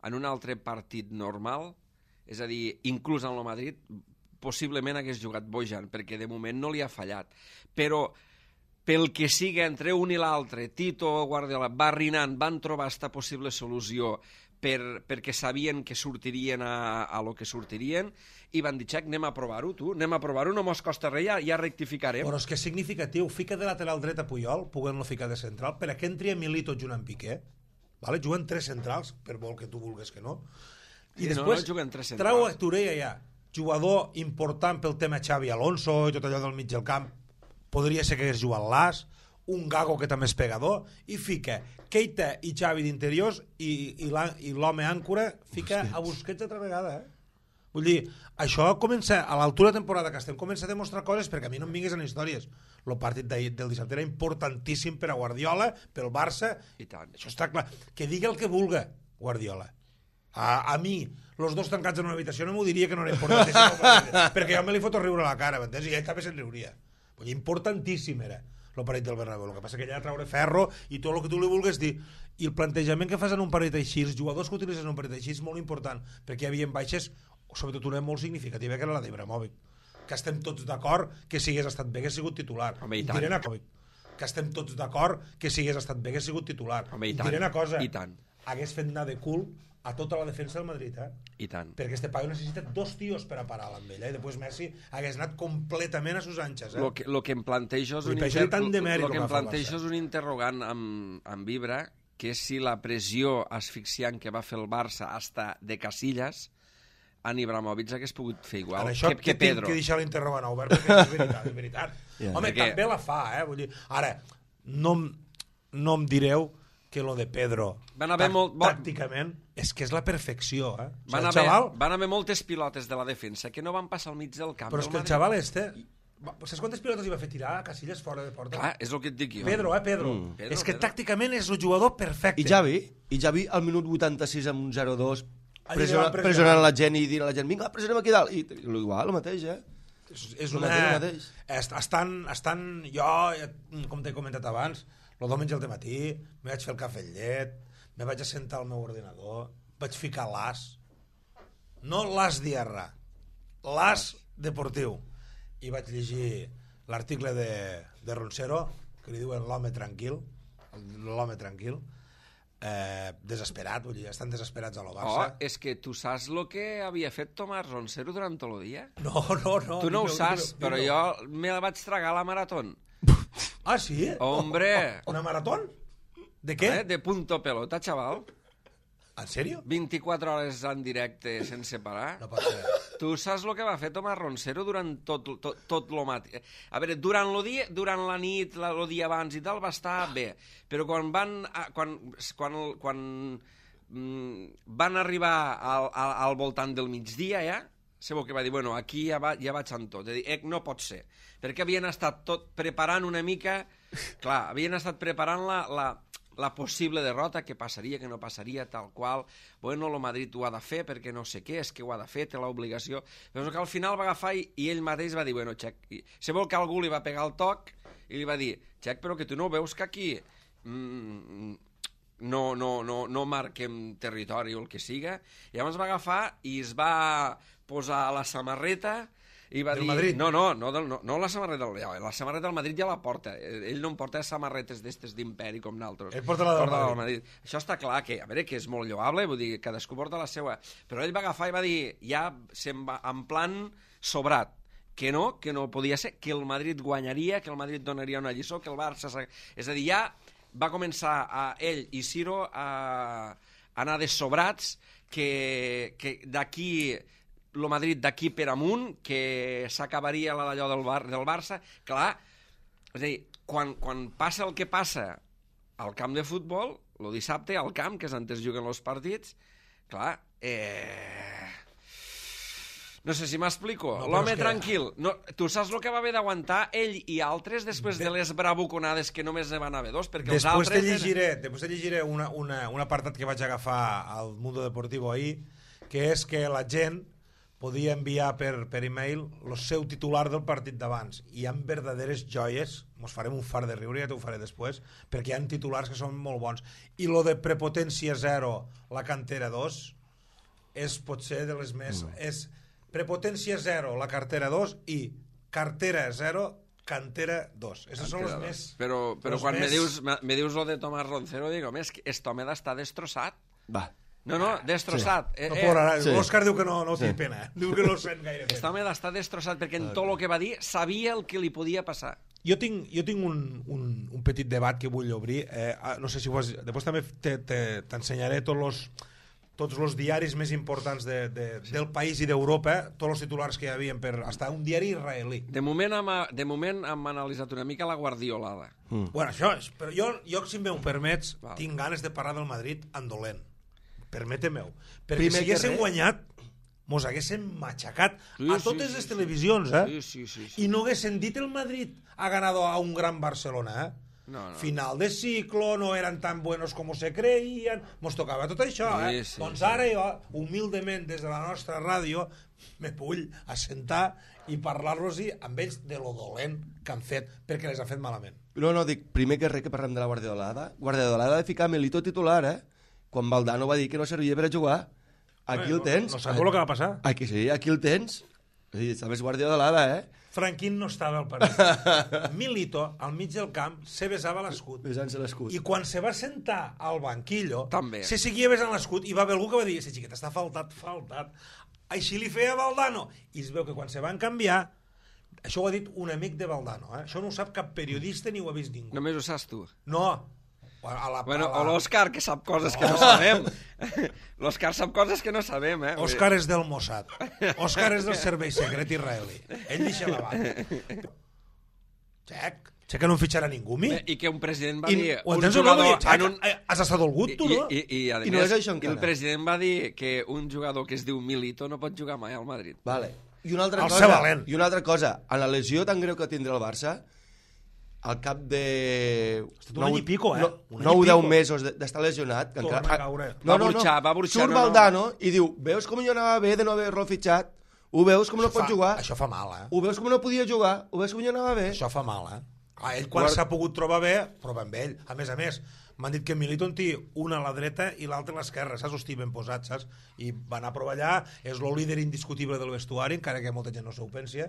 en un altre partit normal és a dir, inclús en el Madrid, possiblement hagués jugat Bojan, perquè de moment no li ha fallat. Però pel que siga entre un i l'altre, Tito o Guardiola, barrinant, van trobar esta possible solució perquè sabien que sortirien a lo que sortirien i van dir, Xec, anem a provar-ho, tu, anem a provar-ho, no mos costa res, ja rectificarem. Però és que és significatiu, fica de lateral dret a Puyol, poguent-lo ficar de central, per a què entri a Milito junt amb Piqué? Vale? Juguen 3 centrals, per molt que tu vulguis que no. I després no juguen 3 trau a centrals. Torella ja, jugador important pel tema Xavi Alonso i tot allò del mig del camp, podria ser que hagués jugat l'As, un Gago que també és pegador, i fica Keita i Xavi d'interiors i l'home àncora fica a Busquets altra vegada, Vull dir, això comença, a l'altura de temporada que estem, comença a demostrar coses, perquè a mi no em vingues en històries. El partit del dissabte era importantíssim per a Guardiola, pel Barça, I tant. això està clar. Que digui el que vulga, Guardiola. A mi, els dos tancats en una habitació, no m'ho diria que no era importantíssim, perquè jo me li foto a riure a la cara, m'entens? I ell també se'n riuria. Vull dir, importantíssim era el partit del Bernabéu. El que passa que allà traure ferro i tot el que tu li vulguis dir. I el plantejament que fas en un partit així, els jugadors que utilitzen en un partit així és molt important, perquè hi havia baixes, sobretot una molt significativa, que era la d'Ibrahimovic. Que estem tots d'acord que si hagués estat bé hagués sigut titular. Home, i tant. Diré una cosa. Que estem tots d'acord que si hagués estat bé hagués sigut titular. Home, i tant. Diré una cosa. I tant. Hagués fet anar de cul a tota la defensa del Madrid, I tant. perquè este paio necessita 2 tios per a parar amb ell, i després Messi hagués anat completament a sus anxes. Lo que em plantejo és Vull dir, per això hi ha tant de mèrit lo que el em que fa el plantejo Barça. és un interrogant amb Vibra, que és si la pressió asfixiant que va fer el Barça hasta de Casillas en Ibrahimovic hagués pogut fer igual Ara, això que Pedro. tinc que deixar l'interrogant obert, perquè és veritat, és veritat. Yeah. Home, Perquè- també la fa, Vull dir, ara, no em direu que lo de Pedro Van haver tàcticament és que és la perfecció, Van el haver, xaval, van haver moltes pilotes de la defensa que no van passar al mig del camp. però és del que el Madrid. xaval saps quantes pilotes hi va fer tirar a Casillas fora de porta? Clar, és el que et dic jo. Pedro. Pedro, És que Pedro. tàcticament és el jugador perfecte. I Javi al minut 86 amb un 0-2 Allí van pressionar. pressionant la gent i dient a la gent, vinga, pressionem aquí dalt. I igual, el mateix, És el una... mateix. Estan... Jo, com t'he comentat abans, el diumenge al matí me vaig fer el cafè amb llet, me vaig assentar al meu ordinador, vaig ficar l'AS, no l'AS Diarra, l'AS deportiu, i vaig llegir l'article de Roncero, que li diuen l'home tranquil, desesperat, vull dir, estan desesperats a lo Barça. És que tu saps el que havia fet Tomàs Roncero durant tot el dia? No. Tu no ho dime-ho, saps, dime-ho, però dime-ho. jo me la vaig tragar a la marató. Ah, sí? Hombre! Una marató? De què? De punto pelota, xaval. En sèrio? 24 hores en directe sense parar. No pot ser. Tu saps el que va fer Tomàs Roncero durant tot lo matí? A veure, durant la nit, el dia abans i tal, va estar bé. Però quan van arribar al voltant del migdia, ja, sabeu que va dir, bueno, aquí ja vaig amb tot. No pot ser. Perquè havien estat preparant una mica... Clar, havien estat preparant la possible derrota, que passaria, que no passaria, tal qual. Bueno, el Madrid ho ha de fer perquè no sé què, és que ho ha de fer, té l'obligació. Però que al final va agafar i ell mateix va dir, bueno, Xec, se vol que algú li va pegar el toc i li va dir, Xec, però que tu no veus que aquí no marquem territori o el que siga. I llavors va agafar i es va posar la samarreta i va Del dir... Madrid? No la samarreta la samarreta del Madrid ja la porta. Ell no em porta samarretes d'estes d'imperi com nosaltres. Ell porta la del Madrid. Això està clar, que a veure, que és molt lloable, vull dir, cadascú porta la seva. Però ell va agafar i va dir, ja se'n va en plan sobrat, que no podia ser, que el Madrid guanyaria, que el Madrid donaria una lliçó, que el Barça... És a dir, ja va començar ell i Ciro a anar de sobrats, que d'aquí... el Madrid d'aquí per amunt, que s'acabaria allò del Barça. Clar, és a dir, quan passa el que passa al camp de futbol, el dissabte al camp, que és on es juguen els partits, clar, no sé si m'explico. No, L'home és que... tranquil. No, tu saps el que va haver d'aguantar ell i altres després de les bravuconades que només ne van haver dos? Perquè els Després altres... te llegiré un apartat que vaig agafar al Mundo Deportivo ahir, que és que la gent podia enviar per e-mail el seu titular del partit d'abans. I hi ha verdaderes joies, mos farem un far de riure, ja t'ho faré després, perquè hi ha titulars que són molt bons. I lo de prepotència 0, la cantera 2, és potser de les més... És prepotència 0, la cartera 2, i cartera 0, cantera 2. Aquestes són les més... Però quan me dius lo de Tomás Roncero, dic, home, és que este home està destrossat. Va. No, destrossat. No plorarà. Sí. L'Òscar diu que no té pena. Diu que no sent gaire Este pena. home està destrossat perquè en tot el que va dir sabia el que li podia passar. Jo tinc un petit debat que vull obrir. No sé si ho has... Després també t'ensenyaré tots els diaris més importants del país i d'Europa, tots els titulars que hi havia hasta un diari israelí. De moment hem analitzat una mica la guardiolada. Bueno, això és... Però jo si m'ho permets, tinc ganes de parlar del Madrid en dolent. Permete-m'ho. Perquè si haguéssim guanyat, mos haguéssim matxacat a totes les televisions, Sí. I no haguessin dit el Madrid ha ganado a un gran Barcelona, No. Final de ciclo, no eran tan buenos como se creían, mos tocava tot això, Sí, doncs ara jo, humilment des de la nostra ràdio, me vull assentar i parlar-los-hi amb ells de lo dolent que han fet, perquè les han fet malament. No, dic, primer que res que parlem de la Guardiolada de ficar Milito titular, quan Valdano va dir que no servia per a jugar. Aquí el tens. No saps el que va passar? Aquí sí, aquí el tens. Està més Guardiolada, Franquín no estava al partit. Milito, al mig del camp, se besava l'escut. Besant-se l'escut. I quan se va sentar al banquillo, també se seguia besant l'escut i va haver algú que va dir, ese xiquet està faltat. Així li feia Valdano. I es veu que quan se van canviar, això ho ha dit un amic de Valdano, això no ho sap cap periodista ni ho ha vist ningú. Només ho saps tu. No. O l'Òscar, que sap coses que no sabem. L'Òscar sap coses que no sabem, Òscar és del Mossad. Òscar és del servei secret israelí. Ell deixa la banda. Xec que no fitxarà ningú, mi. I que un president va dir... Ho entens o no? Has estat dolgut, tu, no? I a I no més, és això encara. el president va dir que un jugador que es diu Milito no pot jugar mai al Madrid. Vale. I una altra El cosa, ser valent. en la lesió tan greu que tindrà el Barça, al cap de... un any i pico, 9 o 10 mesos d'estar lesionat... Que torna a caure. Va burxar, Surt Valdano i diu, veus com jo anava bé de no haver-lo fitxat? Ho veus com no pot jugar? Això fa mal, Ho veus com no podia jugar? Ho veus com jo anava bé? Això fa mal, Clar, ell quan s'ha pogut trobar bé, prova amb ell. A més, m'han dit que Milito en té una a la dreta i l'altra a l'esquerra, saps? Hosti, ben posat, saps? I va anar a provar allà, és el líder indiscutible del vestuari, encara que molta gent no s'ho pensi,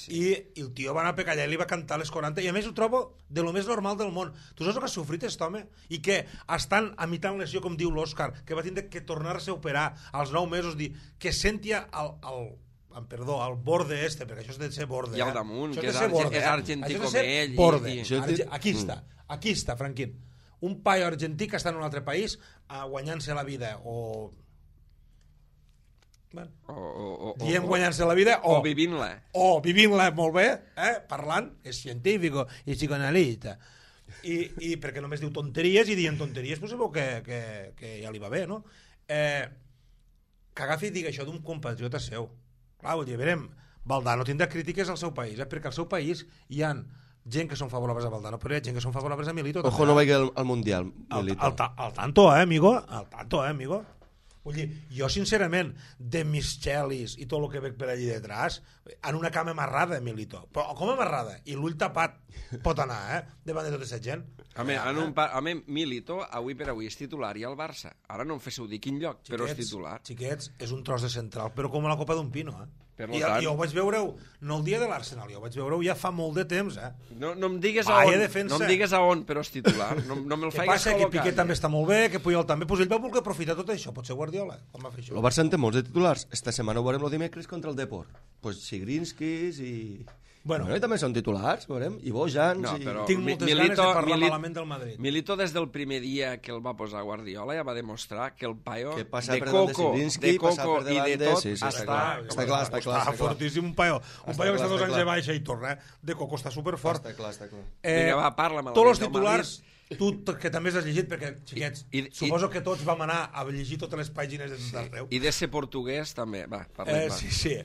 i el tio va anar a pecar allà i li va cantar les 40, i a més ho trobo de lo més normal del món. Tu saps el que ha sofrit aquest home? I que estan a mitjan lesió, com diu l'Òscar, que va tindre que tornar-se a operar als 9 mesos, que sentia al borde perquè això és de ser borde. I al damunt, això que és argentí com ell. Borde. Aquí està, Franquín. Un paio argentí que està en un altre país guanyant-se la vida o diem guanyant-se la vida o vivint-la. O vivint-la molt bé, parlant, és científic i psicoanalista. I perquè només diu tonteries i dient tonteries, pues sabeu que ja li va bé, no? Que agafi i digui això d'un compatriota seu. Clar, vull dir, verem, Valdano tindrà crítiques al seu país, perquè al seu país hi ha gent que són favorables a Valdano, però hi ha gent que són favorables a Milito. Ojo, no vagi al Mundial, Milito. Al tanto, amigo? Al tanto, amigo? Vull dir, jo sincerament, de Michelis i tot el que veig per allí detrás, en una cama amarrada, Milito. Però com amarrada? I l'ull tapat pot anar, davant de tota aquesta gent. A mi, Milito, avui per avui, és titular i al Barça. Ara no em féssiu dir quin lloc, però és titular. Xiquets, és un tros de central, però com a la copa d'un pino, I tant... jo ho vaig veure-ho, no el dia de l'Arsenal, jo ho vaig veure-ho ja fa molt de temps, No em digues a on, però és titular. No me'l faigues col·locar. Que Piqué també està molt bé, que Puyol també, doncs ell va voler aprofitar tot això, potser Guardiola, com va fer això. El Barça en té molts de titulars. Esta setmana ho veurem el dimecres contra el Depor. Pues Sigrinskis i... Bueno, també són titulars, veurem, i Bojans... No, però tinc moltes ganes de parlar malament del Madrid. Milito, des del primer dia que el va posar Guardiola, ja va demostrar que el paio de Coco i de tot està clar. Està fortíssim, un paio que està 2 anys de baixa i torna, de Coco està superfort. Està clar. Vinga, va, parla'm. Tots els titulars, tu que també has llegit, perquè, xiquets, suposo que tots vam anar a llegir totes les pàgines de tot arreu. I de ser portuguès, també. Va, parlem. Sí.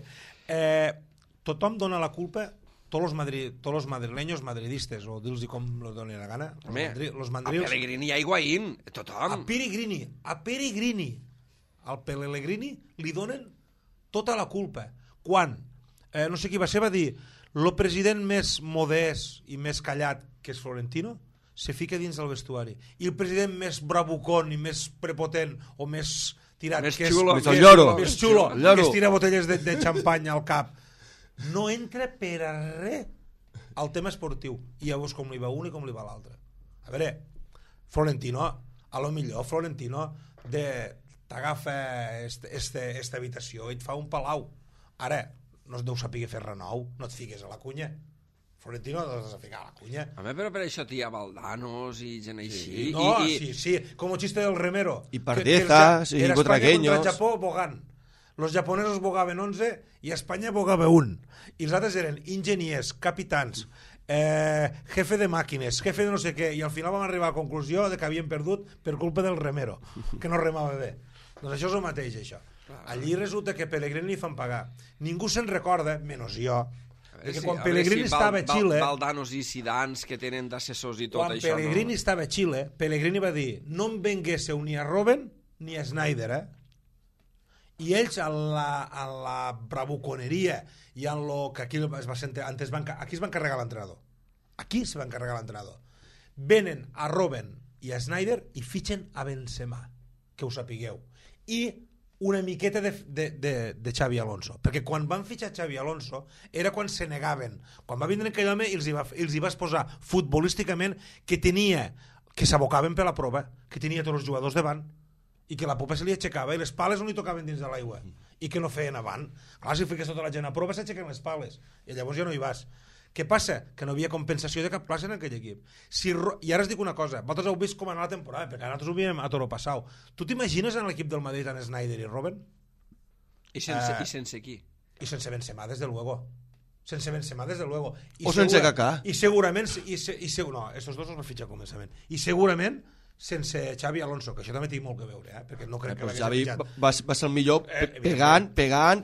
Tothom dona la culpa, tots los madrileños madridistes, o dir-los com lo doni la gana, los mandrils... A Pellegrini i a Higuaín, tothom. A Pellegrini, al Pellegrini li donen tota la culpa. Quan, no sé qui va ser, va dir, el president més modest i més callat, que és Florentino, se fica dins del vestuari. I el president més bravucón i més prepotent o més tirat, Més que és xulo, el lloro. més xulo, El lloro. que es tira botelles de xampanya al cap. No entra per a res al tema esportiu. I llavors com li va un i com li va l'altre. A veure, Florentino, a lo millor Florentino t'agafa esta habitació i et fa un palau. Ara, no es deu saber fer res nou, no et fiques a la cunya. Florentino no has de ficar a la cunya. Home, però per això hi ha Valdanos i gent així. No, sí, com el chiste del remero. Y Pardezas, y era España Butragueños. contra el Japó bogant. Los japonesos bogaven 11 i Espanya bogava 1. I els altres eren enginyers, capitans, jefe de màquines, jefe de no sé què, i al final vam arribar a la conclusió de que havien perdut per culpa del remero, que no remava bé. Doncs això és el mateix, això. Allí resulta que Pellegrini li fan pagar. Ningú se'n recorda, menys jo, que quan Pellegrini estava a Xile... Valdanos i Zidans que tenen d'assessors i tot quan això. Pellegrini estava a Xile, Pellegrini va dir no em venguéssiu ni a Robben ni a Snyder, i ells en la bravuconeria i en lo que aquí es va sentir, aquí es van carregar l'entrenador. Aquí se van carregar l'entrenador. Venen a Robben i a Snyder i fitxen a Benzema, que ho sapigueu. I una miqueta de Xavi Alonso, perquè quan van fitxar Xavi Alonso era quan se negaven. Quan va vindre aquell home els hi va exposar futbolísticament que s'abocaven per la prova, que tenia tots els jugadors davant i que la popa se li aixecava i les pales no li tocaven dins de l'aigua i que no feien avant. Clar, si fiques tota la gent a prova s'aixequen les pales i llavors ja no hi vas. Què passa? Que no havia compensació de cap plaça en aquell equip. I ara us dic una cosa, vosaltres heu vist com anar la temporada, perquè nosaltres ho viem a Toro Passau. Tu t'imagines en l'equip del Madrid en Snyder i Robben? I sense qui? I sense Benzema, desde luego. Sense Benzema, desde luego. O sense Kaká. I segurament... no, estos dos els va fitxar començament. I segurament sense Xavi Alonso, que això també té molt que veure, perquè no crec que l'hagués Xavi fitxat. va ser el millor pegant,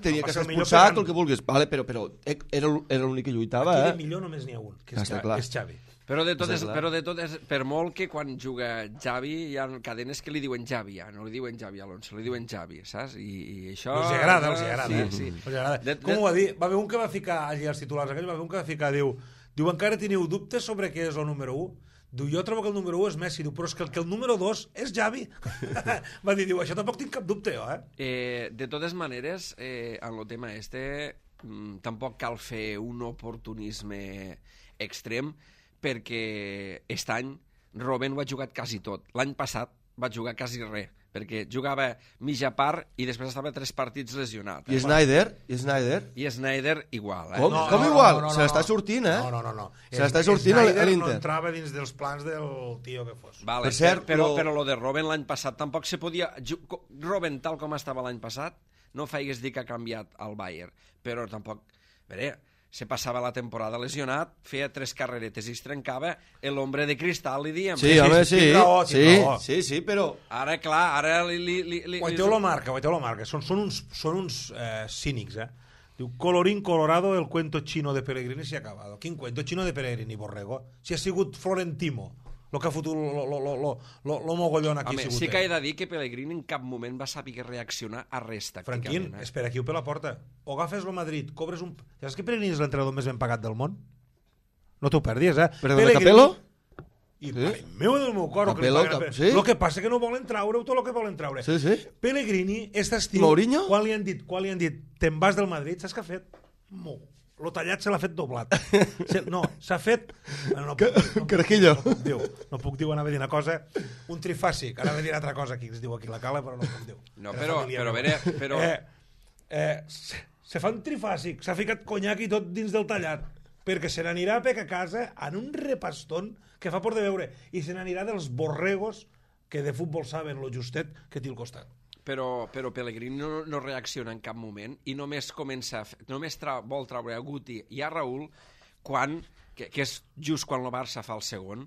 tenia que ser expulsat, el que vulguis. Vale, però era l'únic que lluitava. Aquí de millor només n'hi ha un, que és Xavi. Però de totes, per molt que quan juga Xavi hi ha cadenes que li diuen Xavi, ja, no li diuen Xavi Alonso, li diuen Xavi, saps? I això... Els agrada. Sí. Els agrada. Com ho va dir? Va haver un que va ficar allà als titulars aquells, va haver un que va ficar, diu encara teniu dubtes sobre què és el número 1? Diu, jo trobo que el número 1 és Messi, diu, però és que el número 2 és Xavi. Va dir, això tampoc tinc cap dubte, jo, De totes maneres, en el tema tampoc cal fer un oportunisme extrem, perquè aquest any Robben ho ha jugat quasi tot. L'any passat va jugar quasi res, perquè jugava mitja part i després estava 3 partits lesionat. I Snyder? I Snyder igual, Com igual? Se l'està sortint, No. Se l'està sortint a l'Inter. No entrava dins dels plans del tio que fos. Vale, per cert, però lo de Robben l'any passat tampoc se podia... Robben, tal com estava l'any passat, no feigues dir que ha canviat al Bayern, però tampoc... se passava la temporada lesionat, feia 3 carreretes i es trencava l'hombre de cristal, li diem. Sí, home, sí, però... Ara, clar, ara Guaiteu lo marca. Són uns cínics, Diu, colorín colorado, el cuento chino de Pellegrini se ha acabado. Quin cuento chino de Pellegrini, Borrego? Si ha sigut Florentino, el que ha fotut lo mogollón aquí. Home, sí que he de dir que Pellegrini en cap moment va saber reaccionar a res tàcticament. Franquín, espera, aquí ho per la porta. O agafes el Madrid, cobres un... Ja saps que Pellegrini és l'entrenador més ben pagat del món? No t'ho perdis, Però de Capello? I meu del meu cor, sí? El que passa que no volen traure tot el que volen traure. Sí. Pellegrini, aquest estiu, Mourinho? quan li han dit te'n vas del Madrid, saps què ha fet? Lo tallat se l'ha fet doblat. No, s'ha fet... Carajillo. No puc dir, anava a dir una cosa, un trifàsic, anava a dir una altra cosa aquí, es diu aquí la cala, però no puc dir. No, però se fa un trifàsic, s'ha ficat conyac i tot dins del tallat, perquè se n'anirà a pecar a casa en un repastón que fa por de veure, i se n'anirà dels borregos que de futbol saben lo justet que té al costat. Però Pellegrini no reacciona en cap moment i només vol treure a Guti i a Raúl que és just quan el Barça fa el segon,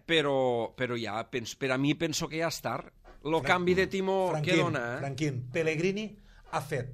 però ja, per a mi penso que ja és tard. El canvi de timó que dona... Franquín, Pellegrini ha fet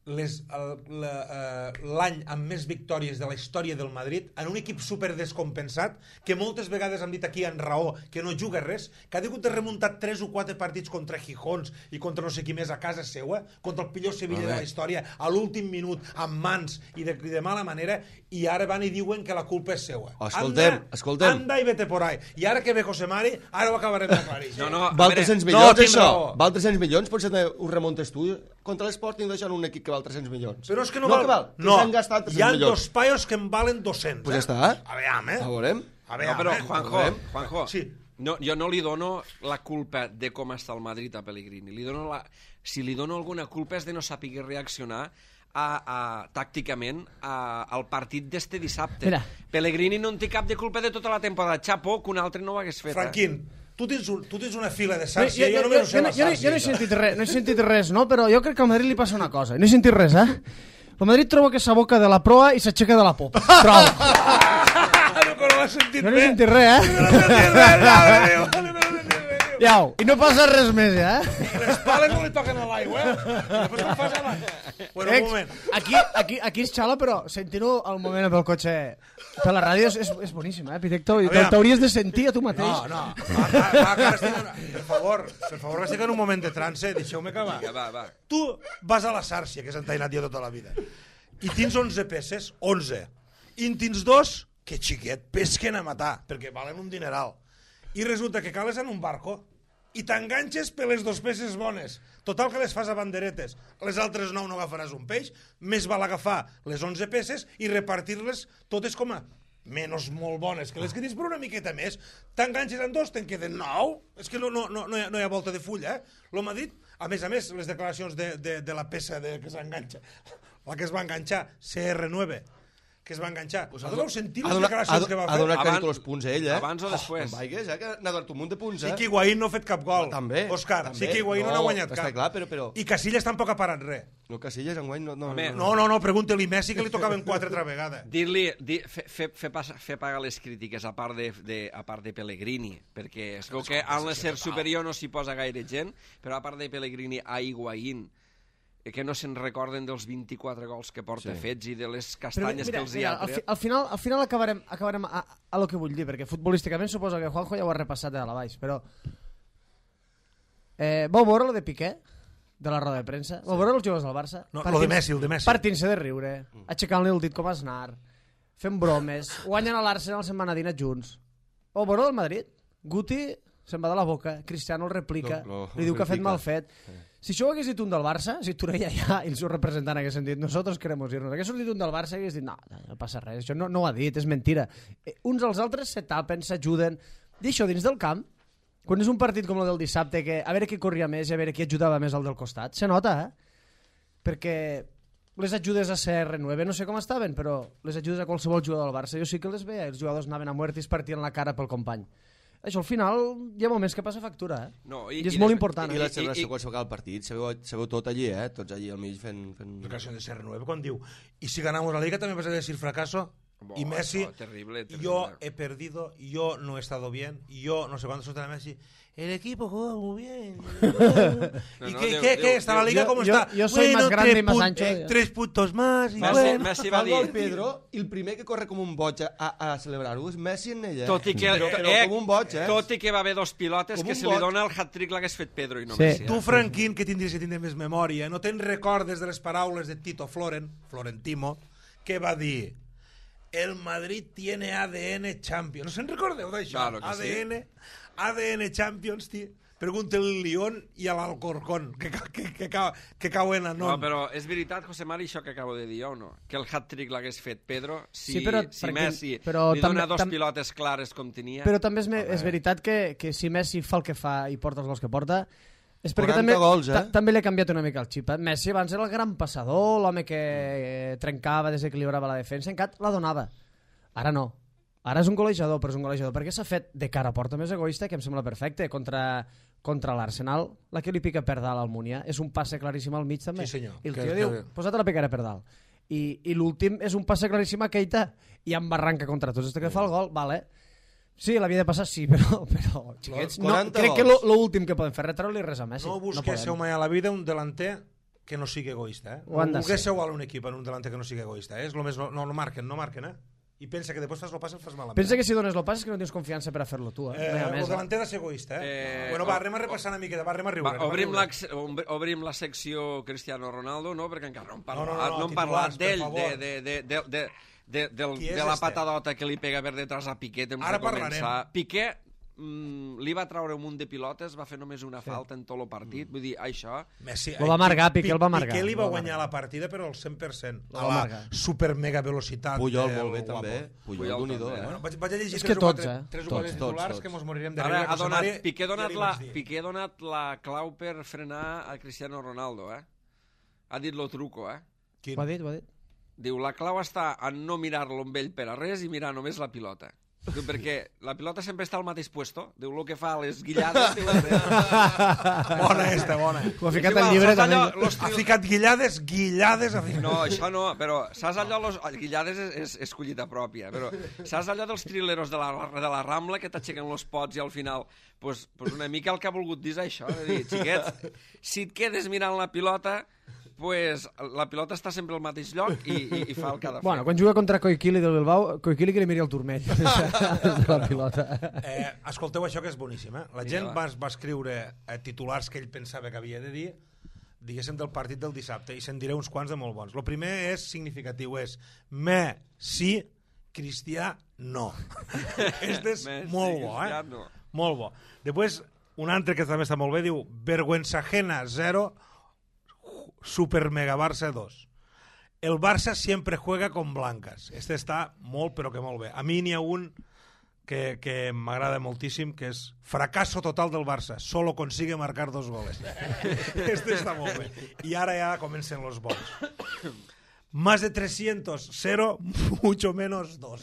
l'any amb més victòries de la història del Madrid en un equip super descompensat que moltes vegades han dit aquí en raó que no juga res, que ha hagut de remuntar 3 o 4 partits contra Gijons i contra no sé qui més a casa seua, contra el pitjor Sevilla de la història a l'últim minut, amb mans i de mala manera, i ara van i diuen que la culpa és seua. Escoltem. Anda i vete por ahí. I ara que ve José Mari, ara ho acabarem d'aclarir. Val 300 milions, això? Val 300 milions? Potser ho remuntes tu? Contra l'Sporting deixant un equip que val 300 milions. Però és que no val. No, hi ha 2 paios que en valen 200. Pues ja està. A veure, A veurem. No, però Juanjo, sí. Jo no li dono la culpa de com està el Madrid a Pellegrini. Si li dono alguna culpa és de no saber reaccionar tàcticament al partit d'este dissabte. Mira. Pellegrini no en té cap de culpa de tota la temporada. Xapó, que un altre no ho hagués fet. Franquín, tu tens una fila de Sàrcia, jo només no sé la Sàrcia. Jo no he sentit res, no? Però jo crec que al Madrid li passa una cosa. No he sentit res, eh? El Madrid troba que s'aboca de la proa i s'aixeca de la popa. Prou. No he sentit res, eh? Iau, i no passa res més, ja, eh? Les pales no li toquen a l'aigua, eh? Després no passa res. Bueno, un moment. Aquí es xala, però sentint-ho al moment pel cotxe per la ràdio és boníssim, eh, Pitecto? T'hauries de sentir a tu mateix. No. Per favor, estic en un moment de trance, deixeu-me acabar. Va. Tu vas a la Sàrcia, que s'ha entainat jo tota la vida, i tens 11 peces, 11, i en tens 2 que xiquet, pesquen a matar, perquè valen un dineral. I resulta que cales en un barco i t'enganxes per les 2 peces bones. Total que les fas a banderetes. Les altres 9 no agafaràs un peix, més val agafar les 11 peces i repartir-les totes com a menys molt bones, que les que tens per una miqueta més. T'enganxes en 2, te'n queden 9. És que no hi ha volta de fulla, eh? El Madrid, a més, les declaracions de la peça que s'enganxa, la que es va enganxar, CR9, que es va enganxar. Vau sentir les declaracions que va fer? Ha donat crèdit els punts a ell, eh? Abans o després? Vaigues, que n'ha donat un munt de punts, eh? Sí que Higuaín no ha fet cap gol. També. Òscar, sí que Higuaín no n'ha guanyat cap. Està clar, però... I Casillas tampoc ha parat res. No, Casillas enguany no... No, pregunta-li Messi que li tocaven 4 altra vegada. Dir-li, fer pagar les crítiques a part de Pellegrini, perquè es veu que en l'ésser superior no s'hi posa gaire gent, però a part de Pellegrini a Higuaín, que no se'n recorden dels 24 gols que porta fets i de les castanyes que els hi ha tret. Al final acabarem a lo que vull dir, perquè futbolísticament suposo que Juanjo ja ho ha repassat de dalt a baix, però vau veure lo de Piqué? De la roda de premsa? Vau veure els jugadors del Barça? No, el de Messi. Partint-se de riure, aixecant-li el dit com a Aznar, fent bromes, guanyen a l'Arsenal, se'n van a dinar junts. Vau veure del Madrid? Guti se'n va de la boca, Cristiano el replica, li diu que ha fet mal fet. Si això ho hagués dit un del Barça, si Torella ja i el seu representant haguessin dit nosotros queremos irnos, hagués sortit un del Barça i hagués dit no passa res, això no ho ha dit, és mentira. Uns als altres se tapen, s'ajuden. I això dins del camp, quan és un partit com el del dissabte, que a veure qui corria més i a veure qui ajudava més al del costat, se nota, perquè les ajudes a CR9 no sé com estaven, però les ajudes a qualsevol jugador del Barça jo sí que les veia, els jugadors anaven a muerte i es partien la cara pel company. Això al final hi ha moments que passa factura, i és molt important. I la celebració quan s'acaba el partit, sabeu tot allí, tots allí al mig fent... Declaració de CR9 quan diu y si ganamos la Liga también vas a decir fracaso y Messi, terrible. Yo he perdido, yo no he estado bien, yo no sé cuándo soltará Messi. El equipo juega muy bien. ¿Y qué? ¿Está la Liga? ¿Cómo está? Yo soy más grande y más ancho. 3 puntos más. Messi va dir... Pedro, i el primer que corre com un boig a celebrar-ho és Messi en ella. Tot i que, com un boig, tot i que va haver 2 pilotes que se li dona el hat-trick l'hagués fet Pedro i no Messi. Tu, Franquín, que tindries que tindre més memòria, no te'n recordes de les paraules de Tito Florentino, que va dir el Madrid tiene ADN Champions. No se'n recordeu d'això? Claro que ADN Champions, tio. Pregunta el Lyon i a l'Alcorcón, que cauen a nom. No, però és veritat, José Mari, això que acabo de dir o no? Que el hat-trick l'hagués fet Pedro si Messi li dona 2 pilotes clares com tenia. Però també és veritat que si Messi fa el que fa i porta els gols que porta, és perquè també li ha canviat una mica el xip. Messi abans era el gran passador, l'home que trencava, desequilibrava la defensa, encara la donava. Ara no. Ara és un golejador, però és un golejador perquè s'ha fet de cara a porta més egoista, que em sembla perfecte, contra l'Arsenal, la que li pica per dalt al Múnia. És un passe claríssim al mig, també. Sí, senyor. I el tio diu, posa't la picaré per dalt. I l'últim és un passe claríssim a Keita i amb barranca contra tots. Este que fa el gol, vale. Sí, l'havia de passar, sí, però xiquets, no, crec que l'últim que poden fer retreure-li res a Messi. No busquéssiu mai a la vida un delanter que no sigui egoista. Ho han de Volgués ser. ser igual un equip en un delanter que no sigui egoista. És lo més, no marquen, I pensa que després fas el pas i el fas malament. Pensa que si dones el pas és que no tens confiança per a fer-lo tu. No hi ha El més, delanter ha de ser egoista. Bueno, va, anem a repassar una miqueta, anem a riure. Obrim la secció Cristiano Ronaldo, no? Perquè encara no hem No, parlat titulars, d'ell, Qui és de la este? patadota que li pega per detrás a Piqué temps Ara de començar. parlarem. Piqué li va treure un munt de pilotes, va fer només una falta en tot el partit, vull dir, això... Messi, Lo va amargar, Piqué el va amargar. Piqué li va Lo va guanyar la partida, però al 100%. Lo A va la amargar. super mega velocitat. Puyol del molt bé guapo. també. Puyol d'un-i-do, també, Bueno, vaig a llegir És que tots, tres o Tots, quatre tots, titulars tots. que mos morirem de Ara riure. ha que donat, Mari- Piqué ja li ha donat la clau per frenar a Cristiano Ronaldo, Ha dit lo truco, Quin? Ho ha dit, ho ha dit. Diu, la clau està en no mirar-lo amb ell per a res i mirar només la pilota. Diu, perquè la pilota sempre està al mateix puesto. Diu, el que fa les guillades... Diu, Bona esta, bona. Ho ha ficat igual, al llibre saps també. allò, Ha ficat guillades. No, això no, però saps allò, guillades és collita pròpia, però saps allò dels trileros de la Rambla que t'aixequen los pots i al final, pues una mica el que ha volgut dir és això, de dir, xiquets, si et quedes mirant la pilota, pues la pilota està sempre al mateix lloc i fa el que ha de fer. Bueno, quan juga contra Koikili del Bilbao, Koikili que li miri el turmell des de la pilota. Escolteu això que és boníssim. La gent va escriure titulars que ell pensava que havia de dir, diguéssim, del partit del dissabte, i se'n diré uns quants de molt bons. El primer és significatiu, és sí, Cristià no. Este és molt bo, No. Molt bo. Després, un altre que també està molt bé, diu vergüenza ajena 0, Super Mega Barça 2. El Barça siempre juega con blancas. Este està molt, però que molt bé. A mi n'hi ha un que m'agrada moltíssim, que és fracaso total del Barça. Solo consigue marcar 2 goles. Este està molt bé. I ara ja comencen los bons. Más de 300, 0, mucho menos 2.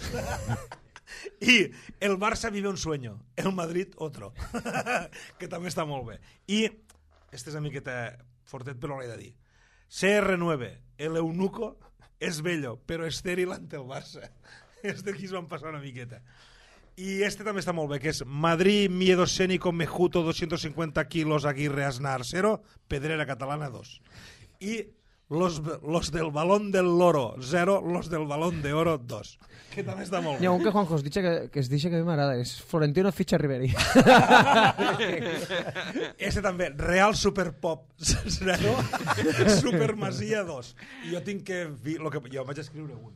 Y el Barça vive un sueño, el Madrid otro. Que també està molt bé. I, este és una miqueta fortet, però l'he de dir. CR9, el eunuco es bello, pero estéril ante el Barça. Este aquí es van passar una miqueta. I este també està molt bé, que és Madrid, miedo escénico, Mejuto, 250 kilos, Aguirre, Aznar, 0, Pedrera Catalana, 2. I los del balón del loro, 0, los del balón de oro, 2. Que també està molt bé. Hi ha un que Juanjo que es dice que a mi m'agrada, és Florentino Ficha Riveri. Este també, Real Superpop 0, Super Masia 2. I jo tinc que jo vaig escriure un,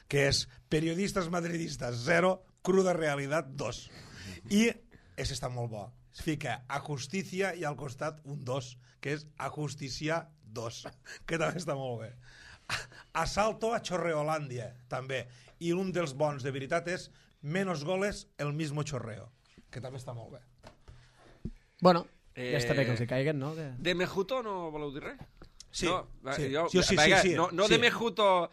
que és Periodistas Madridistas 0, Cruda Realidad 2. I ese està molt bo. Es fica a Justicia i al costat un 2, que és a Justiciar 2, que també està molt bé. Asalto a Chorreolàndia, també. I un dels bons de veritat és menos goles, el mismo chorreo, que també està molt bé. Bueno, ja està bé que els hi caiguen, no? De Mejuto no voleu dir res? Sí, no, sí. No de Mejuto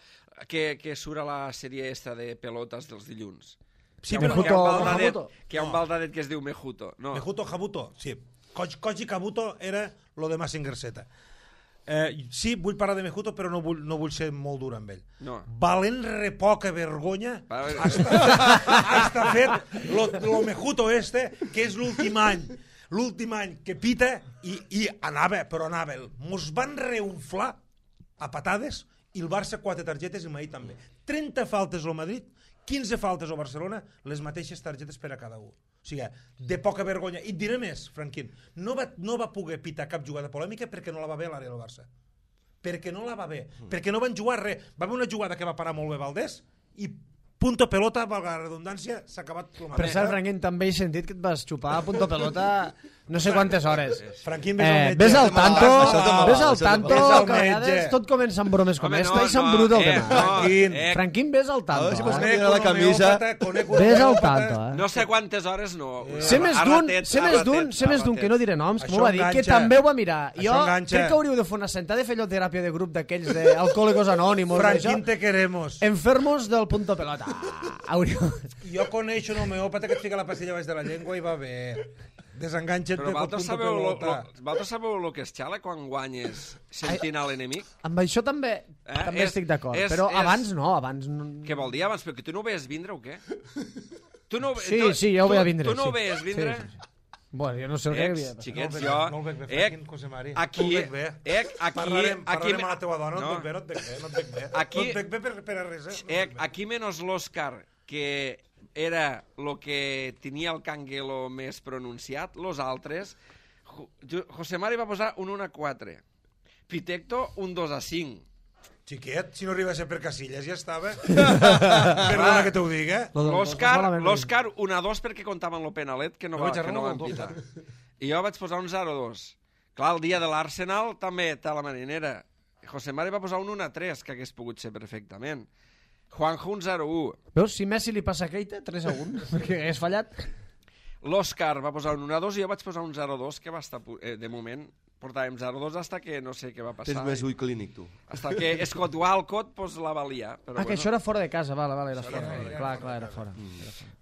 que surt a la sèrie esta de pelotes dels dilluns. Sí, que Mejuto. hi ha un baldadet que es diu Mejuto. No. Mejuto Jabuto, sí. Koji Kabuto era lo de Massinger Z. Sí, vull parlar de Mejuto, però no vull ser molt dur amb ell. No. Valent repoca vergonya hasta fet lo Mejuto este, que és l'últim any que pita i anava, mos van reunflar a patades i el Barça 4 targetes i mai també. 30 faltes al Madrid, 15 faltes al Barcelona, les mateixes targetes per a cada un. O sigui, de poca vergonya. I et diré més, Franquín, no va poder pitar cap jugada polèmica perquè no la va bé a l'àrea del Barça. Perquè no la va bé. Perquè no van jugar res. Va haver una jugada que va parar molt bé Valdés i punto pelota, valga la redundància, s'ha acabat el Per cert, Franquín, també he sentit que et vas xupar a punto pelota no sé quantes hores. Franquín, ves al metge. Ves al tanto, Ves al que a vegades tot comença amb bromes com esta i s'embruta el tema. Franquín, ves al tanto. Conec la camisa. Ves al tanto. No sé quantes hores no. Sé més d'un, que no diré noms, que m'ho va dir, que també ho va mirar. Jo crec que hauríeu de fer una sentada i fer allò teràpia de grup d'aquells d'alcohòlicos anònimos. Franquín, te queremos. Enfermos del punto pelota. Jo coneixo un homeòpata que et fica la pastilla baix de la llengua i va bé. Desenganxa't de punto pelota. Vosaltres sabeu el que és xala quan guanyes sentint a l'enemic? Amb això també estic d'acord, però abans no. Què vol dir abans? Però que tu no ho veies vindre o què? Sí, ja ho veia vindre. Tu no ho veies vindre? Bueno, jo no sé el que havia. Xiquets, No el veig bé, Franquín, José Mari. Aquí, No el veig bé. Parlarem amb la teva dona, no et veig bé, no et veig bé. No et veig bé per a res, Aquí menos l'Òscar, que era el que tenia el canguelo més pronunciat, los altres, José Mari va posar un 1-4, Pitecto un 2-5. Xiquet, si no arriba a ser per Casillas ja estava. Perdona que t'ho diga. L'Òscar 1-2 perquè comptaven el penalet que no van pitar. I jo vaig posar un 0-2. Clar, el dia de l'Arsenal també té la marinera. José Mari va posar un 1-3, que hagués pogut ser perfectament. Juanjo un 0-1. Veus, si Messi li passa a Keita, 3-1, perquè hagués fallat. L'Òscar va posar un 1-2 i jo vaig posar un 0-2, que va estar, de moment, portàvem 0-2 hasta que no sé què va passar. Tens més ull clínic, tu. Hasta que Scott Walcott pues, la valia. Però que això era fora de casa, vale, era fora. Clar, era fora.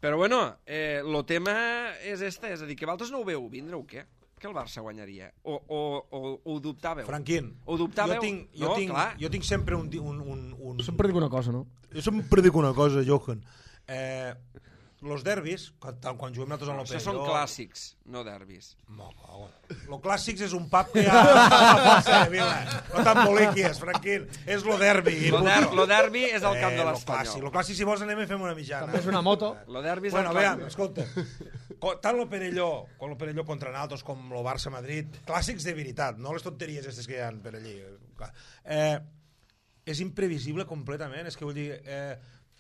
Però bueno, el tema és este, és a dir, que vosaltres no ho veu vindre o què? Que el Barça guanyaria? O ho dubtàveu? Franquín, ho dubtàveu? Jo tinc sempre un... Sempre dic una cosa, no? Jo sempre dic una cosa, Johan. Los derbis, quan juguem nosaltres en l'Open... Això són clàssics, no derbis. Lo clàssics és un pub que hi ha a la plaça de Vila. No t'emboliquies, Franquín. És lo derbi. Lo derbi és el camp de l'Espanyol. Lo clàssic, si vols, anem a fer una mitjana. També és una moto. Lo derbi és el camp. Bueno, escolta, tant lo Perelló contra naltros com lo Barça-Madrid, clàssics de veritat, no les tonteries aquestes que hi ha per allí. És imprevisible completament, és que vull dir...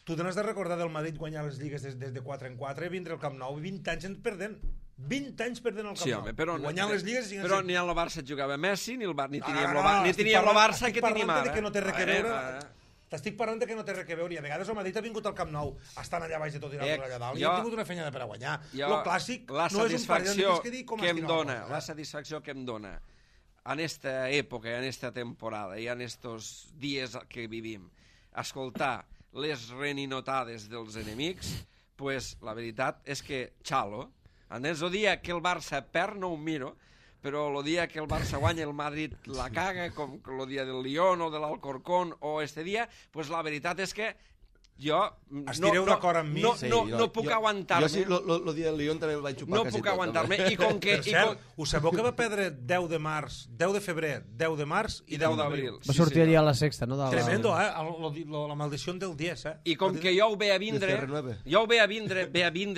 Tu t'has de recordar del Madrid guanyar les lligues des de 4 en 4, vindre al Camp Nou, 20 anys perdent. 20 anys perdent al Camp Nou. Home, però, guanyant les lligues... Però ni al Barça jugava Messi, ni teníem el Barça que tenim ara. Que no té res que veure... T'estic parlant que no té res que veure. I a vegades el Madrid ha vingut al Camp Nou, estan allà baix de tot i l'altre allà dalt, i ha tingut una fenyada per a guanyar. El clàssic no és un parell de que dir com la satisfacció que em dona en esta època, en esta temporada i en estos dies que vivim, escoltar les reninotades dels enemics, pues la veritat és que xalo. El dia que el Barça perd no ho miro, però el dia que el Barça guanya el Madrid la caga, com el dia del Lyon o de l'Alcorcón o este dia, pues la veritat és que jo estireu d'acord amb mi? No puc aguantar-me. Jo sí, el dia del Lyon també el vaig xupar quasi tot. No puc aguantar-me. I com que... Per cert, us sabeu que va perdre 10 de març, 10 de febrer, 10 de març i 10 d'abril? Va sortir allà a la sexta, no? Tremendo, la maldició del 10, I com que jo ho ve a vindre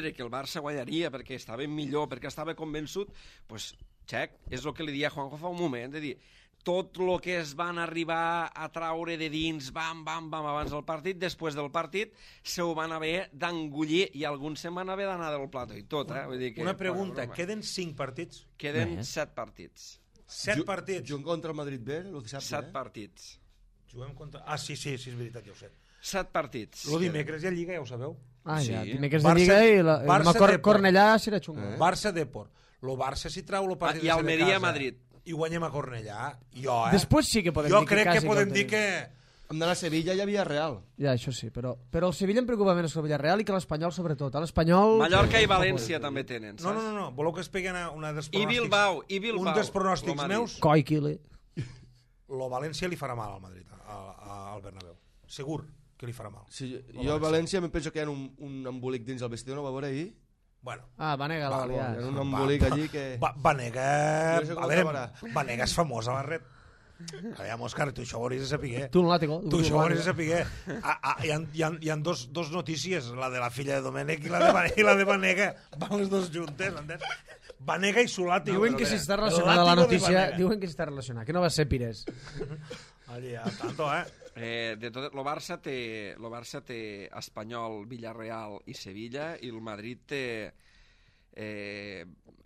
que el Barça guanyaria perquè estava millor, perquè estava convençut, doncs, xec, és el que li dia a Juanjo fa un moment, de dir... tot el que es van arribar a traure de dins, bam, abans del partit, després del partit, se ho van haver d'engullir i alguns se'n van haver d'anar del plató i tot, Vull dir que, una pregunta, queden 5 partits? Queden 7 partits. 7 partits? Juguem contra el Madrid B, el dissabte, 7 partits. Juguem contra... Ah, sí, és veritat, ja ho sé. 7 partits. El dimecres hi ha Lliga, ja ho sabeu? Ah, ja, dimecres de Lliga i la Cornellà serà xunga. Barça-Depor. El Barça si trau el partit i Almeria-Madrid. I guanyem a Cornellà, Després sí que podem dir que jo crec que podem dir que... Hem d'anar a Sevilla i a Villarreal. Ja, això sí, però el Sevilla em preocupa menys que el Villarreal i que l'Espanyol sobretot. L'Espanyol... Mallorca i València també tenen, saps? No. Voleu que es pegui una dels pronòstics? I Bilbao. Un dels pronòstics meus... Coiquile. Lo València li farà mal al Madrid, al Bernabéu. Segur que li farà mal. Sí, jo a València em penso que hi ha un embolic dins el vestidor, no va veure ahir? Bueno, Vanega la valia. Hi ha un embolic allí que... Vanega és famós a la red. Aviam, Òscar, tu això ho hauries de saber. Tu no l'àtico. Tu això ho hauries de saber. Hi ha dos notícies, la de la filla de Domènech i la de Vanega. Van les dos juntes, entens? Vanega i Solàtico. Diuen que si està relacionada la notícia, diuen que si està relacionada, que no va ser Pires. Allí, a tanto, de tot, el Barça té Espanyol, Villarreal i Sevilla, i el Madrid té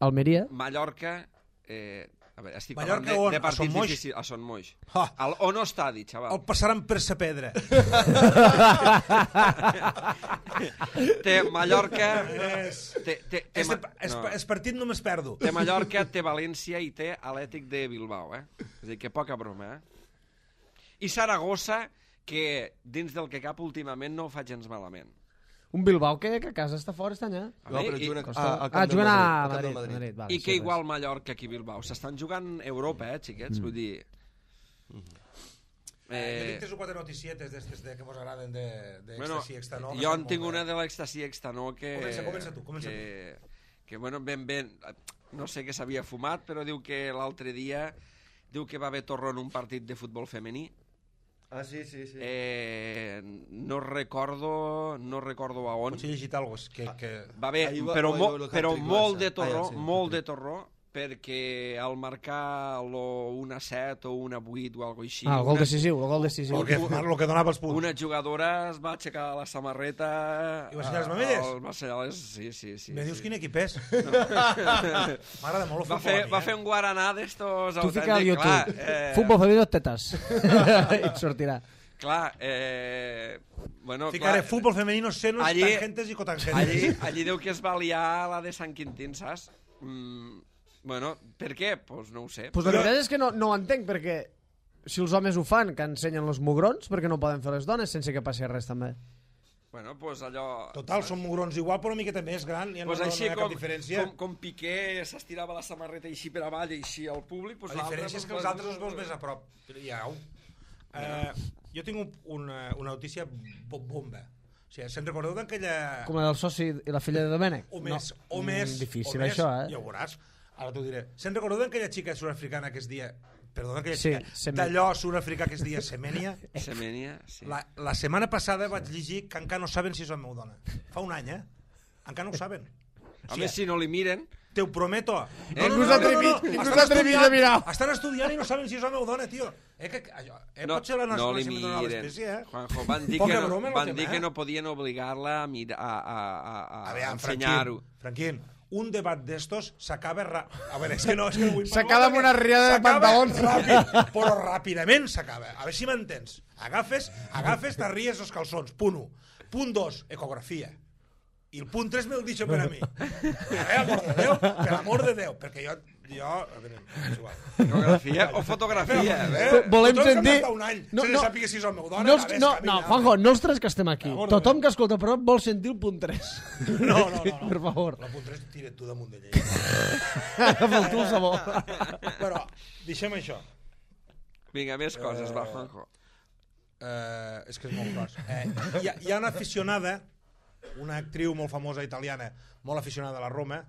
Almeria, Mallorca, a veure, estic Mallorca parlant on? de partits a Son difícils. A Son Moix. On estadi, xaval? El passaran per sa pedra. Té Mallorca... És partit només perdo. Té Mallorca, té València i té Atlètic de Bilbao, És a dir, que poca broma, I Saragossa, que dins del que cap últimament no ho fa gens malament. un Bilbao que a casa està fora està allà. No, però juguen a Madrid. I que igual Mallorca que Bilbao. S'estan jugant Europa, xiquets, vull dir... Jo tinc 3 o 4 noticietes d'estes que mos agraden d'Extasi Extanó. Jo en tinc una de l'Extasi Extanó que... Comença tu. Que, bueno, ben... no sé què s'havia fumat, però diu que l'altre dia que va haver torró en un partit de futbol femení. Ah, sí. No recordo a on. Potser he llegit alguna cosa que... Va haver, però molt de torró, perquè al marcar lo 1-7 o 1-8 o alguna cosa així... El gol decisiu, el gol decisiu. El que donava els punts. Una jugadora es va aixecar la samarreta... I va ensenyar les mamelles? Va ensenyar les... Sí. Me dius quin equip és? M'agrada molt el futbol. Va fer un guaraná d'estos... Tu fica al YouTube. Futbol femení tetes. I et sortirà. Clar, bueno... Ficaré futbol femenino, senos, tangentes i cotangentes. Allí diu que es va liar la de Sant Quintín, saps? Bueno, per què? Pues no ho sé. Pues la veritat és que no ho entenc, perquè si els homes ho fan, que ensenyen els mugrons, perquè no poden fer les dones sense que passi res també. Bueno, pues allò... Total, són mugrons igual, però una miqueta més gran, ja pues no així hi ha cap diferència. Com Piqué s'estirava la samarreta així per avall i així al públic... Pues la diferència és que els altres els veus més a prop. Jo tinc una notícia bomba. O sigui, se'n recordeu d'aquella... Com la del soci i la filla de Domènec? O més. Difícil això, Ja ho veuràs. Ara t'ho diré. Se'n recordeu d'aquella xica sud-africana que es dia... Perdona, aquella Sí, xica d'allò sud-africà que es dia Semenya? Semenya, sí. La setmana passada vaig llegir que encara no saben si és el meu dona. Fa un any, Encara no ho saben. A més, si no li miren... Te ho prometo. Ningú s'ha atrevit a mirar. Estan estudiant i no saben si és el meu dona, tio. Potser la no li nacionalitat de l'espècie, Juanjo, van dir que no podien obligar-la a ensenyar-ho. Franquín, un debat d'estos s'acaba... A veure, és que no vull parlar... S'acaba amb una riada de pantalons. Ràpid, però ràpidament s'acaba. A veure si m'entens. Agafes, t'arries els calçons. Punt 1. Punt 2, ecografia. I el punt 3 me'l deixo per a mi. Per amor de Déu, perquè jo... A veure, és igual. Ecografia o fotografia? Volem sentir... Un any, sense sàpiga si és el meu dona... No, Juanjo, no els tres que estem aquí. Tothom que escolta el programa vol sentir el punt 3. No. Per favor. El punt 3 tira't tu damunt de llei. Agafa'l tu el sabó. Però, deixem això. Vinga, més coses, va, Juanjo. És que és molt gros. Hi ha una aficionada, una actriu molt famosa italiana, molt aficionada a la Roma,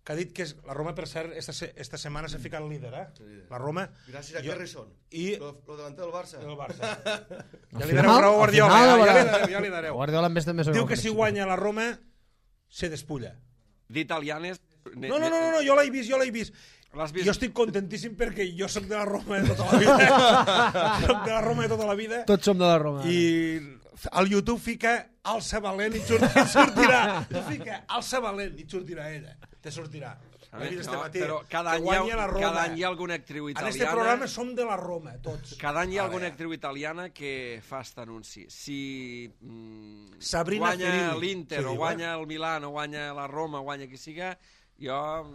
que ha dit que la Roma, per cert, esta setmana s'ha ficat líder, la Roma. Gràcies a Carrison. I... Lo delanter del Barça. Ja li dareu raó a Guardiola. Ja li dareu. Guardiola més també diu que si guanya la Roma, se despulla. D'italianes... No, jo l'he vist. L'has vist? Jo estic contentíssim perquè jo soc de la Roma de tota la vida. Tots som de la Roma. I al YouTube fica Alça Valent i sortirà. Tu fica Alça Valent i sortirà ella. Te sortirà. Però cada any hi ha alguna actriu italiana... En este programa som de la Roma, tots. Cada any hi ha alguna actriu italiana que fa aquest anunci. Si Sabrina guanya Ferilli, l'Inter, o guanya el Milan, o guanya la Roma, o guanya qui siga, jo...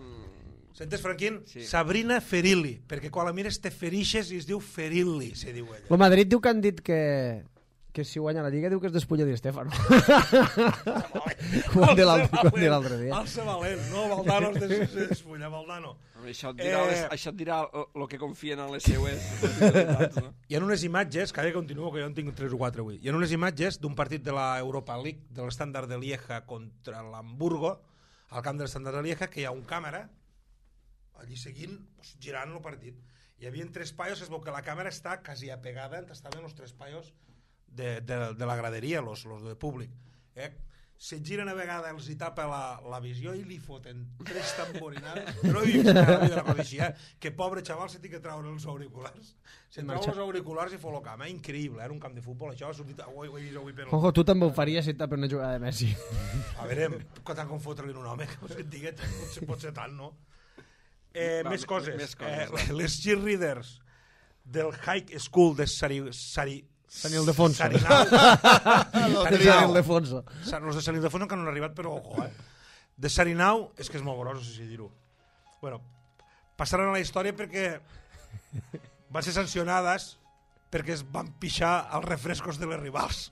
Sentes, Franquín? Sí. Sabrina Ferilli, perquè quan la mires te ferixes i es diu Ferilli, se diu ella. El Madrid diu que han dit que si guanya la Lliga diu que es despulla Di Stéfano. Ho han dit l'altre dia. Alça Valent, no, Valdano es despulla, Valdano. Això et dirà el que confien en les seues possibilitats, no? Hi ha unes imatges, que continuo, que jo en tinc 3 o 4 avui, hi ha unes imatges d'un partit de la Europa League, de l'Standard de Lieja contra l'Hamburgo, al camp de l'Standard de Lieja, que hi ha un càmera allí seguint, girant el partit. Hi havia 3 paios, es veu que la càmera està quasi apegada on estaven els 3 paios de la graderia, los de públic. Se giren a vegada, els hi tapa la visió i li foten 3 tamborinades. No he vist la vida de la cosa així, que pobre xaval se té que treure els auriculars. Se treu els auriculars i fot el camp. Increïble, era un camp de futbol, això ha sortit... Ho he vist avui per... Juanjo, tu també ho faries si et tapa una jugada de Messi. A veure, tant com fotre-li un home, que et digui, pot ser tant, no? Més coses. Les cheerleaders del High School de Sant Ildefonso. Ildefonso. Els de Sant Ildefonso que no han arribat, però ojo, De Sarinau, és que és molt gros, no sé si dir-ho. Bueno, passaran a la història perquè van ser sancionades perquè es van pixar als refrescos de les rivals.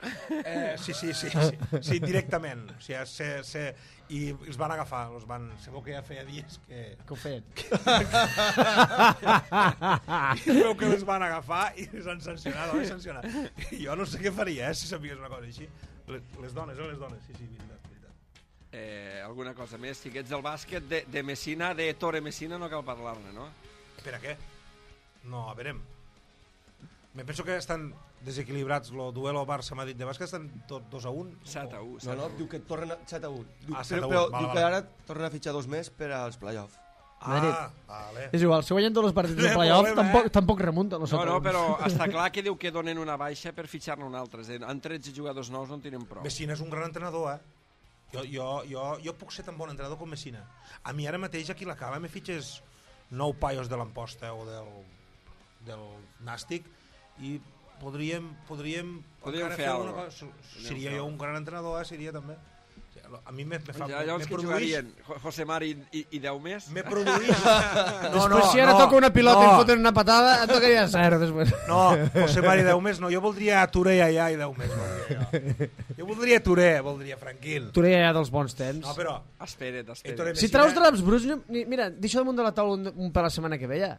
Sí, directament. O sigui, i els van agafar. Se veu que ja feia dies que... Què ho feien? I veu que els van agafar i els han sancionat. Jo no sé què faria, si sabies una cosa així. Les dones, sí, veritat. Alguna cosa més, xiquets del bàsquet, de Messina, de Torre Messina, no cal parlar-ne, no? Per a què? No, a veure... Me penso que estan desequilibrats el duelo Barça-Madrid de bàsquet, estan tots 2-1. 7-1. No, diu que tornen a 7-1. Ah, 7-1, Però vale, diu que ara tornen a fitxar 2 més per als play-off. Vale. És igual, si guanyen tots els partits de playoff, tampoc remunten. No, però està clar que diu que donen una baixa per fitxar-ne un altre. En 13 jugadors nous no en tenen prou. Messina és un gran entrenador, Jo puc ser tan bon entrenador com Messina. A mi ara mateix aquí a la Cala me fitxes 9 paios de l'Amposta o del Nàstic i podríem fer alguna cosa. Seria jo un gran entrenador, seria també. A mi me fa... Llavors que jugarien José Mari i 10 més? Me produïx... Després si ara toca una pilota i em foten una patada, et tocaria 0 després. No, José Mari 10 més no. Jo voldria Touré allà i 10 més. Jo voldria Touré, voldria Franquil. Touré ja dels bons temps. No, però... Espera't. Si traus draps bruts, mira, deixa damunt de la taula un per la setmana que ve ja.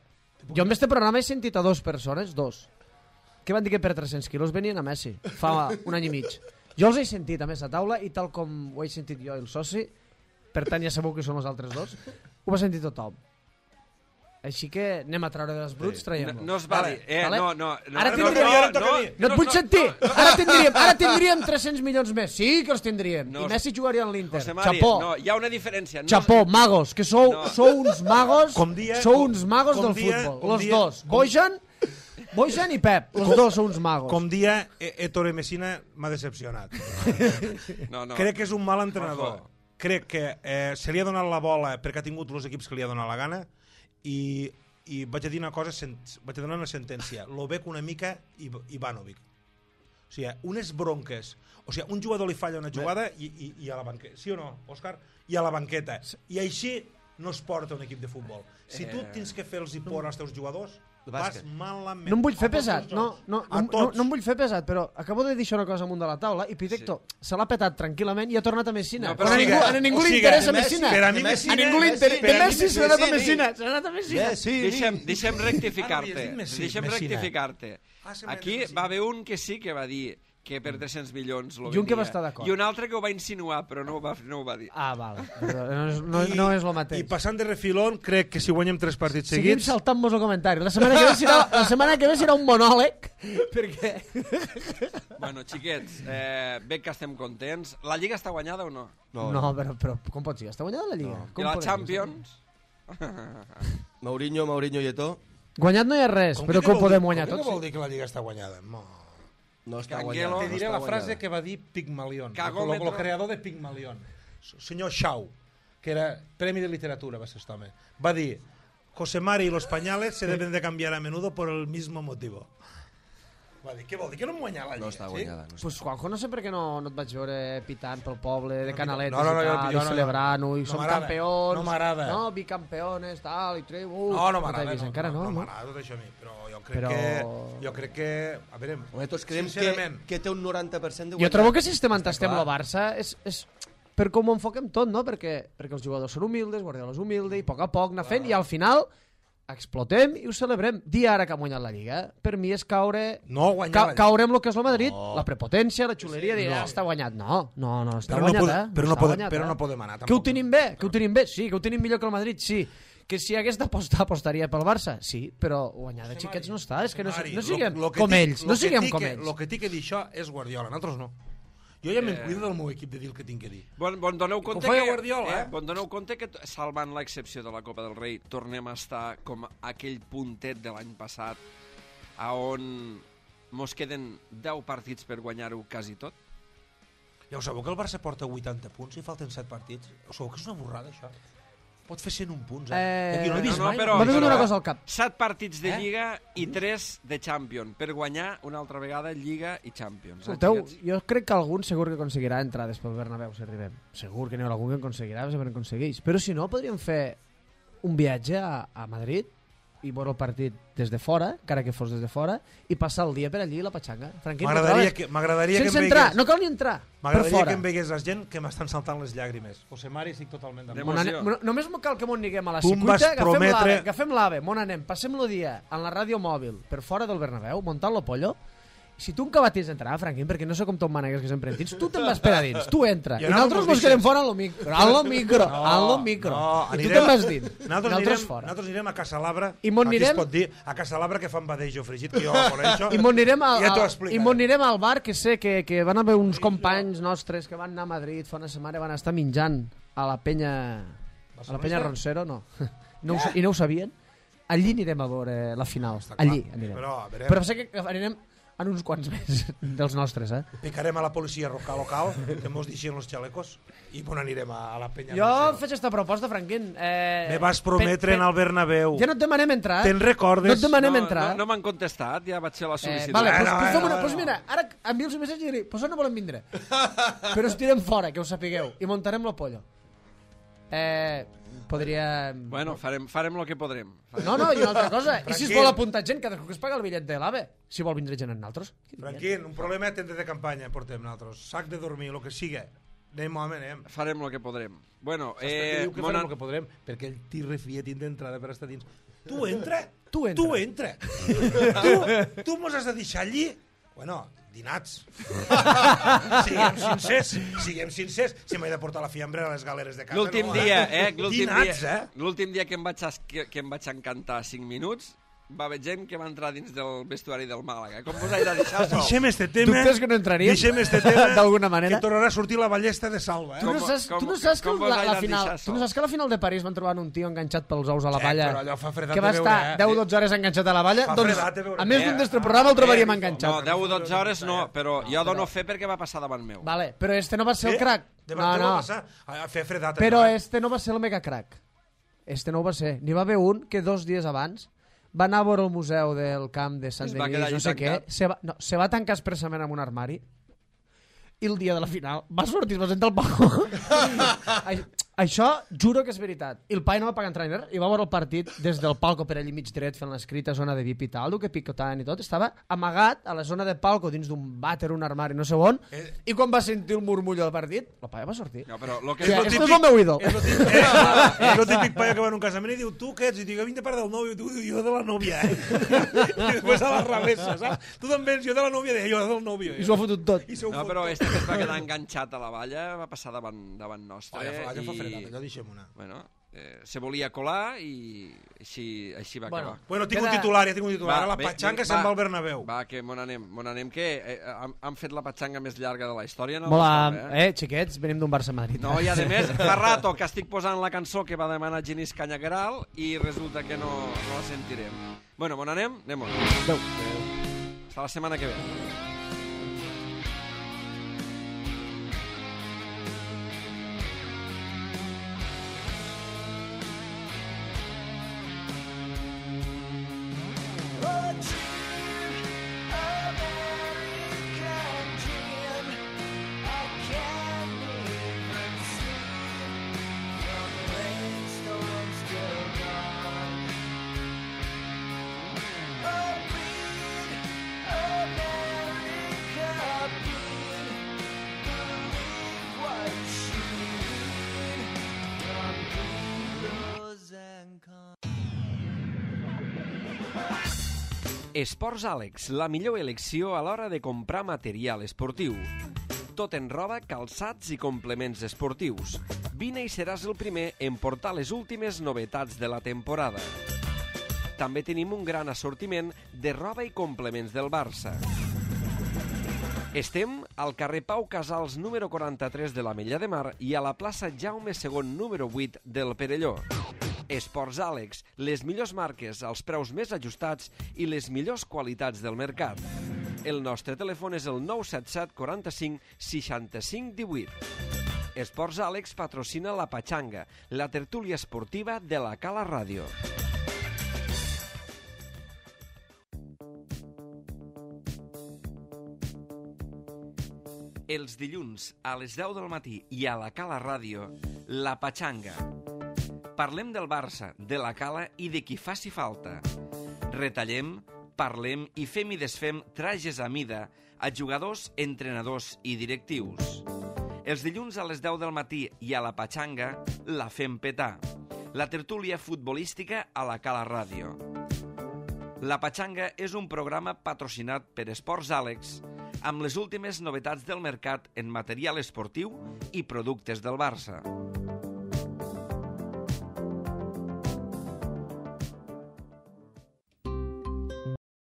Jo amb este programa he sentit a 2 persones, 2, que van dir que per 300 quilos venien a Messi, fa un any i mig. Jo els he sentit a més a taula i tal com ho he sentit jo i el soci, per tant ja sabeu que són els altres 2, ho va sentir tothom. Així que anem a treure dels bruts, traiem-los. No es va dir. No. Ara tindríem... No et vull sentir! Ara tindríem 300 milions més. Sí que els tindríem. I Messi jugaria en l'Inter. Chapó. No, hi ha una diferència. Chapó, magos, que sou uns magos. Sou uns magos del futbol. Los dos. Bojan i Pep, els dos són uns magos. Com dia, Ettore Messina m'ha decepcionat. Crec que és un mal entrenador. Crec que se li ha donat la bola perquè ha tingut els equips que li ha donat la gana i vaig a dir una cosa, vaig a donar una sentència. Lo bec una mica Ivanovic. O sigui, unes bronques. O sigui, un jugador li falla una jugada i a la banqueta. Sí o no, Òscar? I a la banqueta. I així no es porta un equip de futbol. Si tu tens que fer-los por als teus jugadors, vas malament. No em vull fer pesat, no em vull fer pesat, però acabo de deixar una cosa amunt de la taula i Pitecto se l'ha petat tranquil·lament i ha tornat a Messina. A ningú li interessa Messina. A ningú li interessa. De Messi s'ha anat a Messina. Deixem rectificar-te. Aquí va haver un que sí que va dir que per 300 milions lo venia. I un que va estar d'acord. I un altre que ho va insinuar, però no ho va dir. Ah, val. No és el mateix. I passant de refilón, crec que si guanyem 3 partits seguits... Seguim saltant-nos el comentari. La setmana que ve serà un monòleg, perquè... Bueno, xiquets, bé que estem contents. La Lliga està guanyada o no? No, però com pot ser? Està guanyada la Lliga? I la Champions? Mourinho i Eto'o. Guanyat no hi ha res, però com podem guanyar tots? Què vol dir que la Lliga està guanyada? No està guanyada. Te diré la frase que va dir Pigmalión, el creador de Pigmalión. Senyor Shaw, que era Premi de Literatura, va ser este home. Va dir, José Mari y los pañales se deben de cambiar a menudo por el mismo motivo. Va dir, què vol dir? Que no hem guanyat la Lliga? No està guanyada. Pues Juanjo, no sé per què no et vaig veure pitant pel poble de Canaletes i celebrant-ho, i som campions, no m'agrada. No, bicampeones, tal, i treu... No m'agrada, encara no m'agrada tot això a mi, però jo crec que... A veure, tots creiem que té un 90% de guanyar. Jo trobo que si estem entestem el Barça és per com ho enfoquem tot, no? Perquè els jugadors són humildes, Guardiola és humilde, i a poc anar fent, i al final explotem i ho celebrem. Dir ara que ha guanyat la Lliga, per mi és caure en el que és el Madrid, la prepotència, la xuleria, dir, està guanyat. No, està guanyat, però no podem anar. Que ho tenim bé, sí, que ho tenim millor que el Madrid, sí. Que si hagués d'apostar, apostaria pel Barça, sí, però guanyar de xiquets no està, és que no siguem com ells, no siguem com ells. El que tinc que dir això és Guardiola, nosaltres no. Jo ja me'n cuido del meu equip de dir el que tinc que dir. Bon doneu compte que Guardiola, bon doneu compte que salvant l'excepció de la Copa del Rei tornem a estar com aquell puntet de l'any passat a on mos queden 10 partits per guanyar-ho quasi tot. Ja ho sabeu que el Barça porta 80 punts i falten 7 partits? Ho sabeu que és una borrada això? Pot fer 101 punts, no he vist mai. Però una cosa al cap. 7 partits de Lliga i 3 de Champions per guanyar una altra vegada Lliga i Champions. Escolteu, jo crec que algun segur que aconseguirà entrades pel Bernabéu si arribem. Segur que n'hi ha algun que aconseguirà, sempre aconsegueix. Però si no, podríem fer un viatge a Madrid i veure el partit des de fora, encara que fos des de fora, i passar el dia per allí a la petxanga. M'agradaria que sense entrar, no cal ni entrar. M'agradaria que em vegués la gent que m'estan saltant les llàgrimes. José Mari, estic totalment d'acord. Només cal que m'ho neguem a la cicuita, agafem l'AVE, passem el dia en la ràdio mòbil per fora del Bernabéu, muntant-lo pollo, si tu encara tens d'entrar, Franquín, perquè no sé com te'n manegues que sempre en tens, tu te'n vas per a dins, tu entra. I nosaltres mos quedem fora en lo micro. En lo micro. I tu te'n vas dins. Nosaltres fora. Nosaltres anirem a Casa Labra, aquí es pot dir, a Casa Labra que fan badejo fregit, que jo coneixo. I mos anirem al bar, que sé que van haver uns companys nostres que van anar a Madrid fa una setmana i van estar menjant a la penya... A la penya Roncero, no. I no ho sabien. Allí anirem a veure la final. Allí anirem. Però sé que anirem en uns quants més dels nostres, Picarem a la policia local, que mos deixin els xalecos, i on anirem a la penya. Jo faig aquesta proposta, Franquín. Me vas prometre en el Bernabéu. Ja no et demanem entrar. Te'n recordes? No et demanem entrar. No m'han contestat, ja vaig ser la sol·licitud. Vale, doncs mira, ara envio els missatges i diré, pues no volem vindre. Però us tirem fora, que ho sapigueu, i muntarem lo pollo. Podria... Bueno, farem el que podrem. No, i una altra cosa. I si es vol apuntar gent, cadascú que es paga el bitllet de l'AVE. Si vol vindre gent en nosaltres. Franquín, un problema de tenda de campanya portem nosaltres. Sac de dormir, el que siga. Anem, home, anem. Farem el que podrem. Bueno, diu que farem el que podrem? Perquè el tir refia tindre entrada per estar dins. Tu entra. Tu mos has de deixar allí. Bueno, dinats. Siguem sincers. Si m'he de portar la fiambre a les galeres de casa. L'últim dia que em vaig encantar 5 minuts, va haver gent que va entrar dins del vestuari del Màlaga. Com vos he de deixar sol? Deixem este tema. Dubtes que no entraríem? Deixem este tema d'alguna manera. Que tornarà a sortir la ballesta de Salva. Tu no saps que a la final de París van trobar un tio enganxat pels ous a la valla, que va estar 10-12 hores enganxat a la valla? Doncs, a més d'un d'este programa el trobaríem enganxat. No, 10-12 hores no, però jo dono fe perquè va passar davant meu. Vale, però este no va ser el crack. No. Però este no va ser el mega crack. Este no ho va ser. N'hi va haver un que 2 dies abans va anar a veure el museu del camp de Sant Denis, no sé què, se va tancar expressament en un armari i el dia de la final va sortir, es va sentar al palco. Això juro que és veritat. I el pai no va pagar entrainer i va veure el partit des del palco per allí mig dret fent l'escrita zona de VIP i tal, que picotaven i tot. Estava amagat a la zona de palco dins d'un vàter, un armari, no sé on, i quan va sentir el murmullo del partit, el pai va sortir. No, però lo que és el meu ídol. És el típic paio que va en un casament i diu, tu què ets? I diu, vinc de part del nòvio, tu, jo de la nòvia, I després a la revessa, saps? Tu també ets, jo de la nòvia, jo del nòvio. I s'ho ha fotut tot. No, però este que es va quedar enganxat a la valla va passar davant nostre. Allò deixem una. Bueno, se volia colar i així va acabar. Bueno, tinc un titular. Ara la patxanga se'n va al Bernabéu. Va, que mon anem, que han fet la patxanga més llarga de la història. Xiquets, venim d'un Barça-Madrid. No, i a més, fa rato que estic posant la cançó que va demanar Genís Canyagueral i resulta que no la sentirem. Bueno, mon anem? Anem-on. Adéu. Hasta la setmana que ve. Esports Àlex, la millor elecció a l'hora de comprar material esportiu. Tot en roba, calçats i complements esportius. Vine i seràs el primer en portar les últimes novetats de la temporada. També tenim un gran assortiment de roba i complements del Barça. Estem al carrer Pau Casals número 43 de l'Ametlla de Mar i a la plaça Jaume II número 8 del Perelló. Esports Àlex, les millors marques, els preus més ajustats i les millors qualitats del mercat. El nostre telèfon és el 977 45 65 18. Esports Àlex patrocina la Patxanga, la tertúlia esportiva de la Cala Ràdio. Els dilluns a les 10 del matí i a la Cala Ràdio, la Patxanga. Parlem del Barça, de la Cala i de qui faci falta. Retallem, parlem i fem i desfem trajes a mida a jugadors, entrenadors i directius. Els dilluns a les 10 del matí i a la Patxanga la fem petar. La tertúlia futbolística a la Cala Ràdio. La Patxanga és un programa patrocinat per Esports Àlex amb les últimes novetats del mercat en material esportiu i productes del Barça.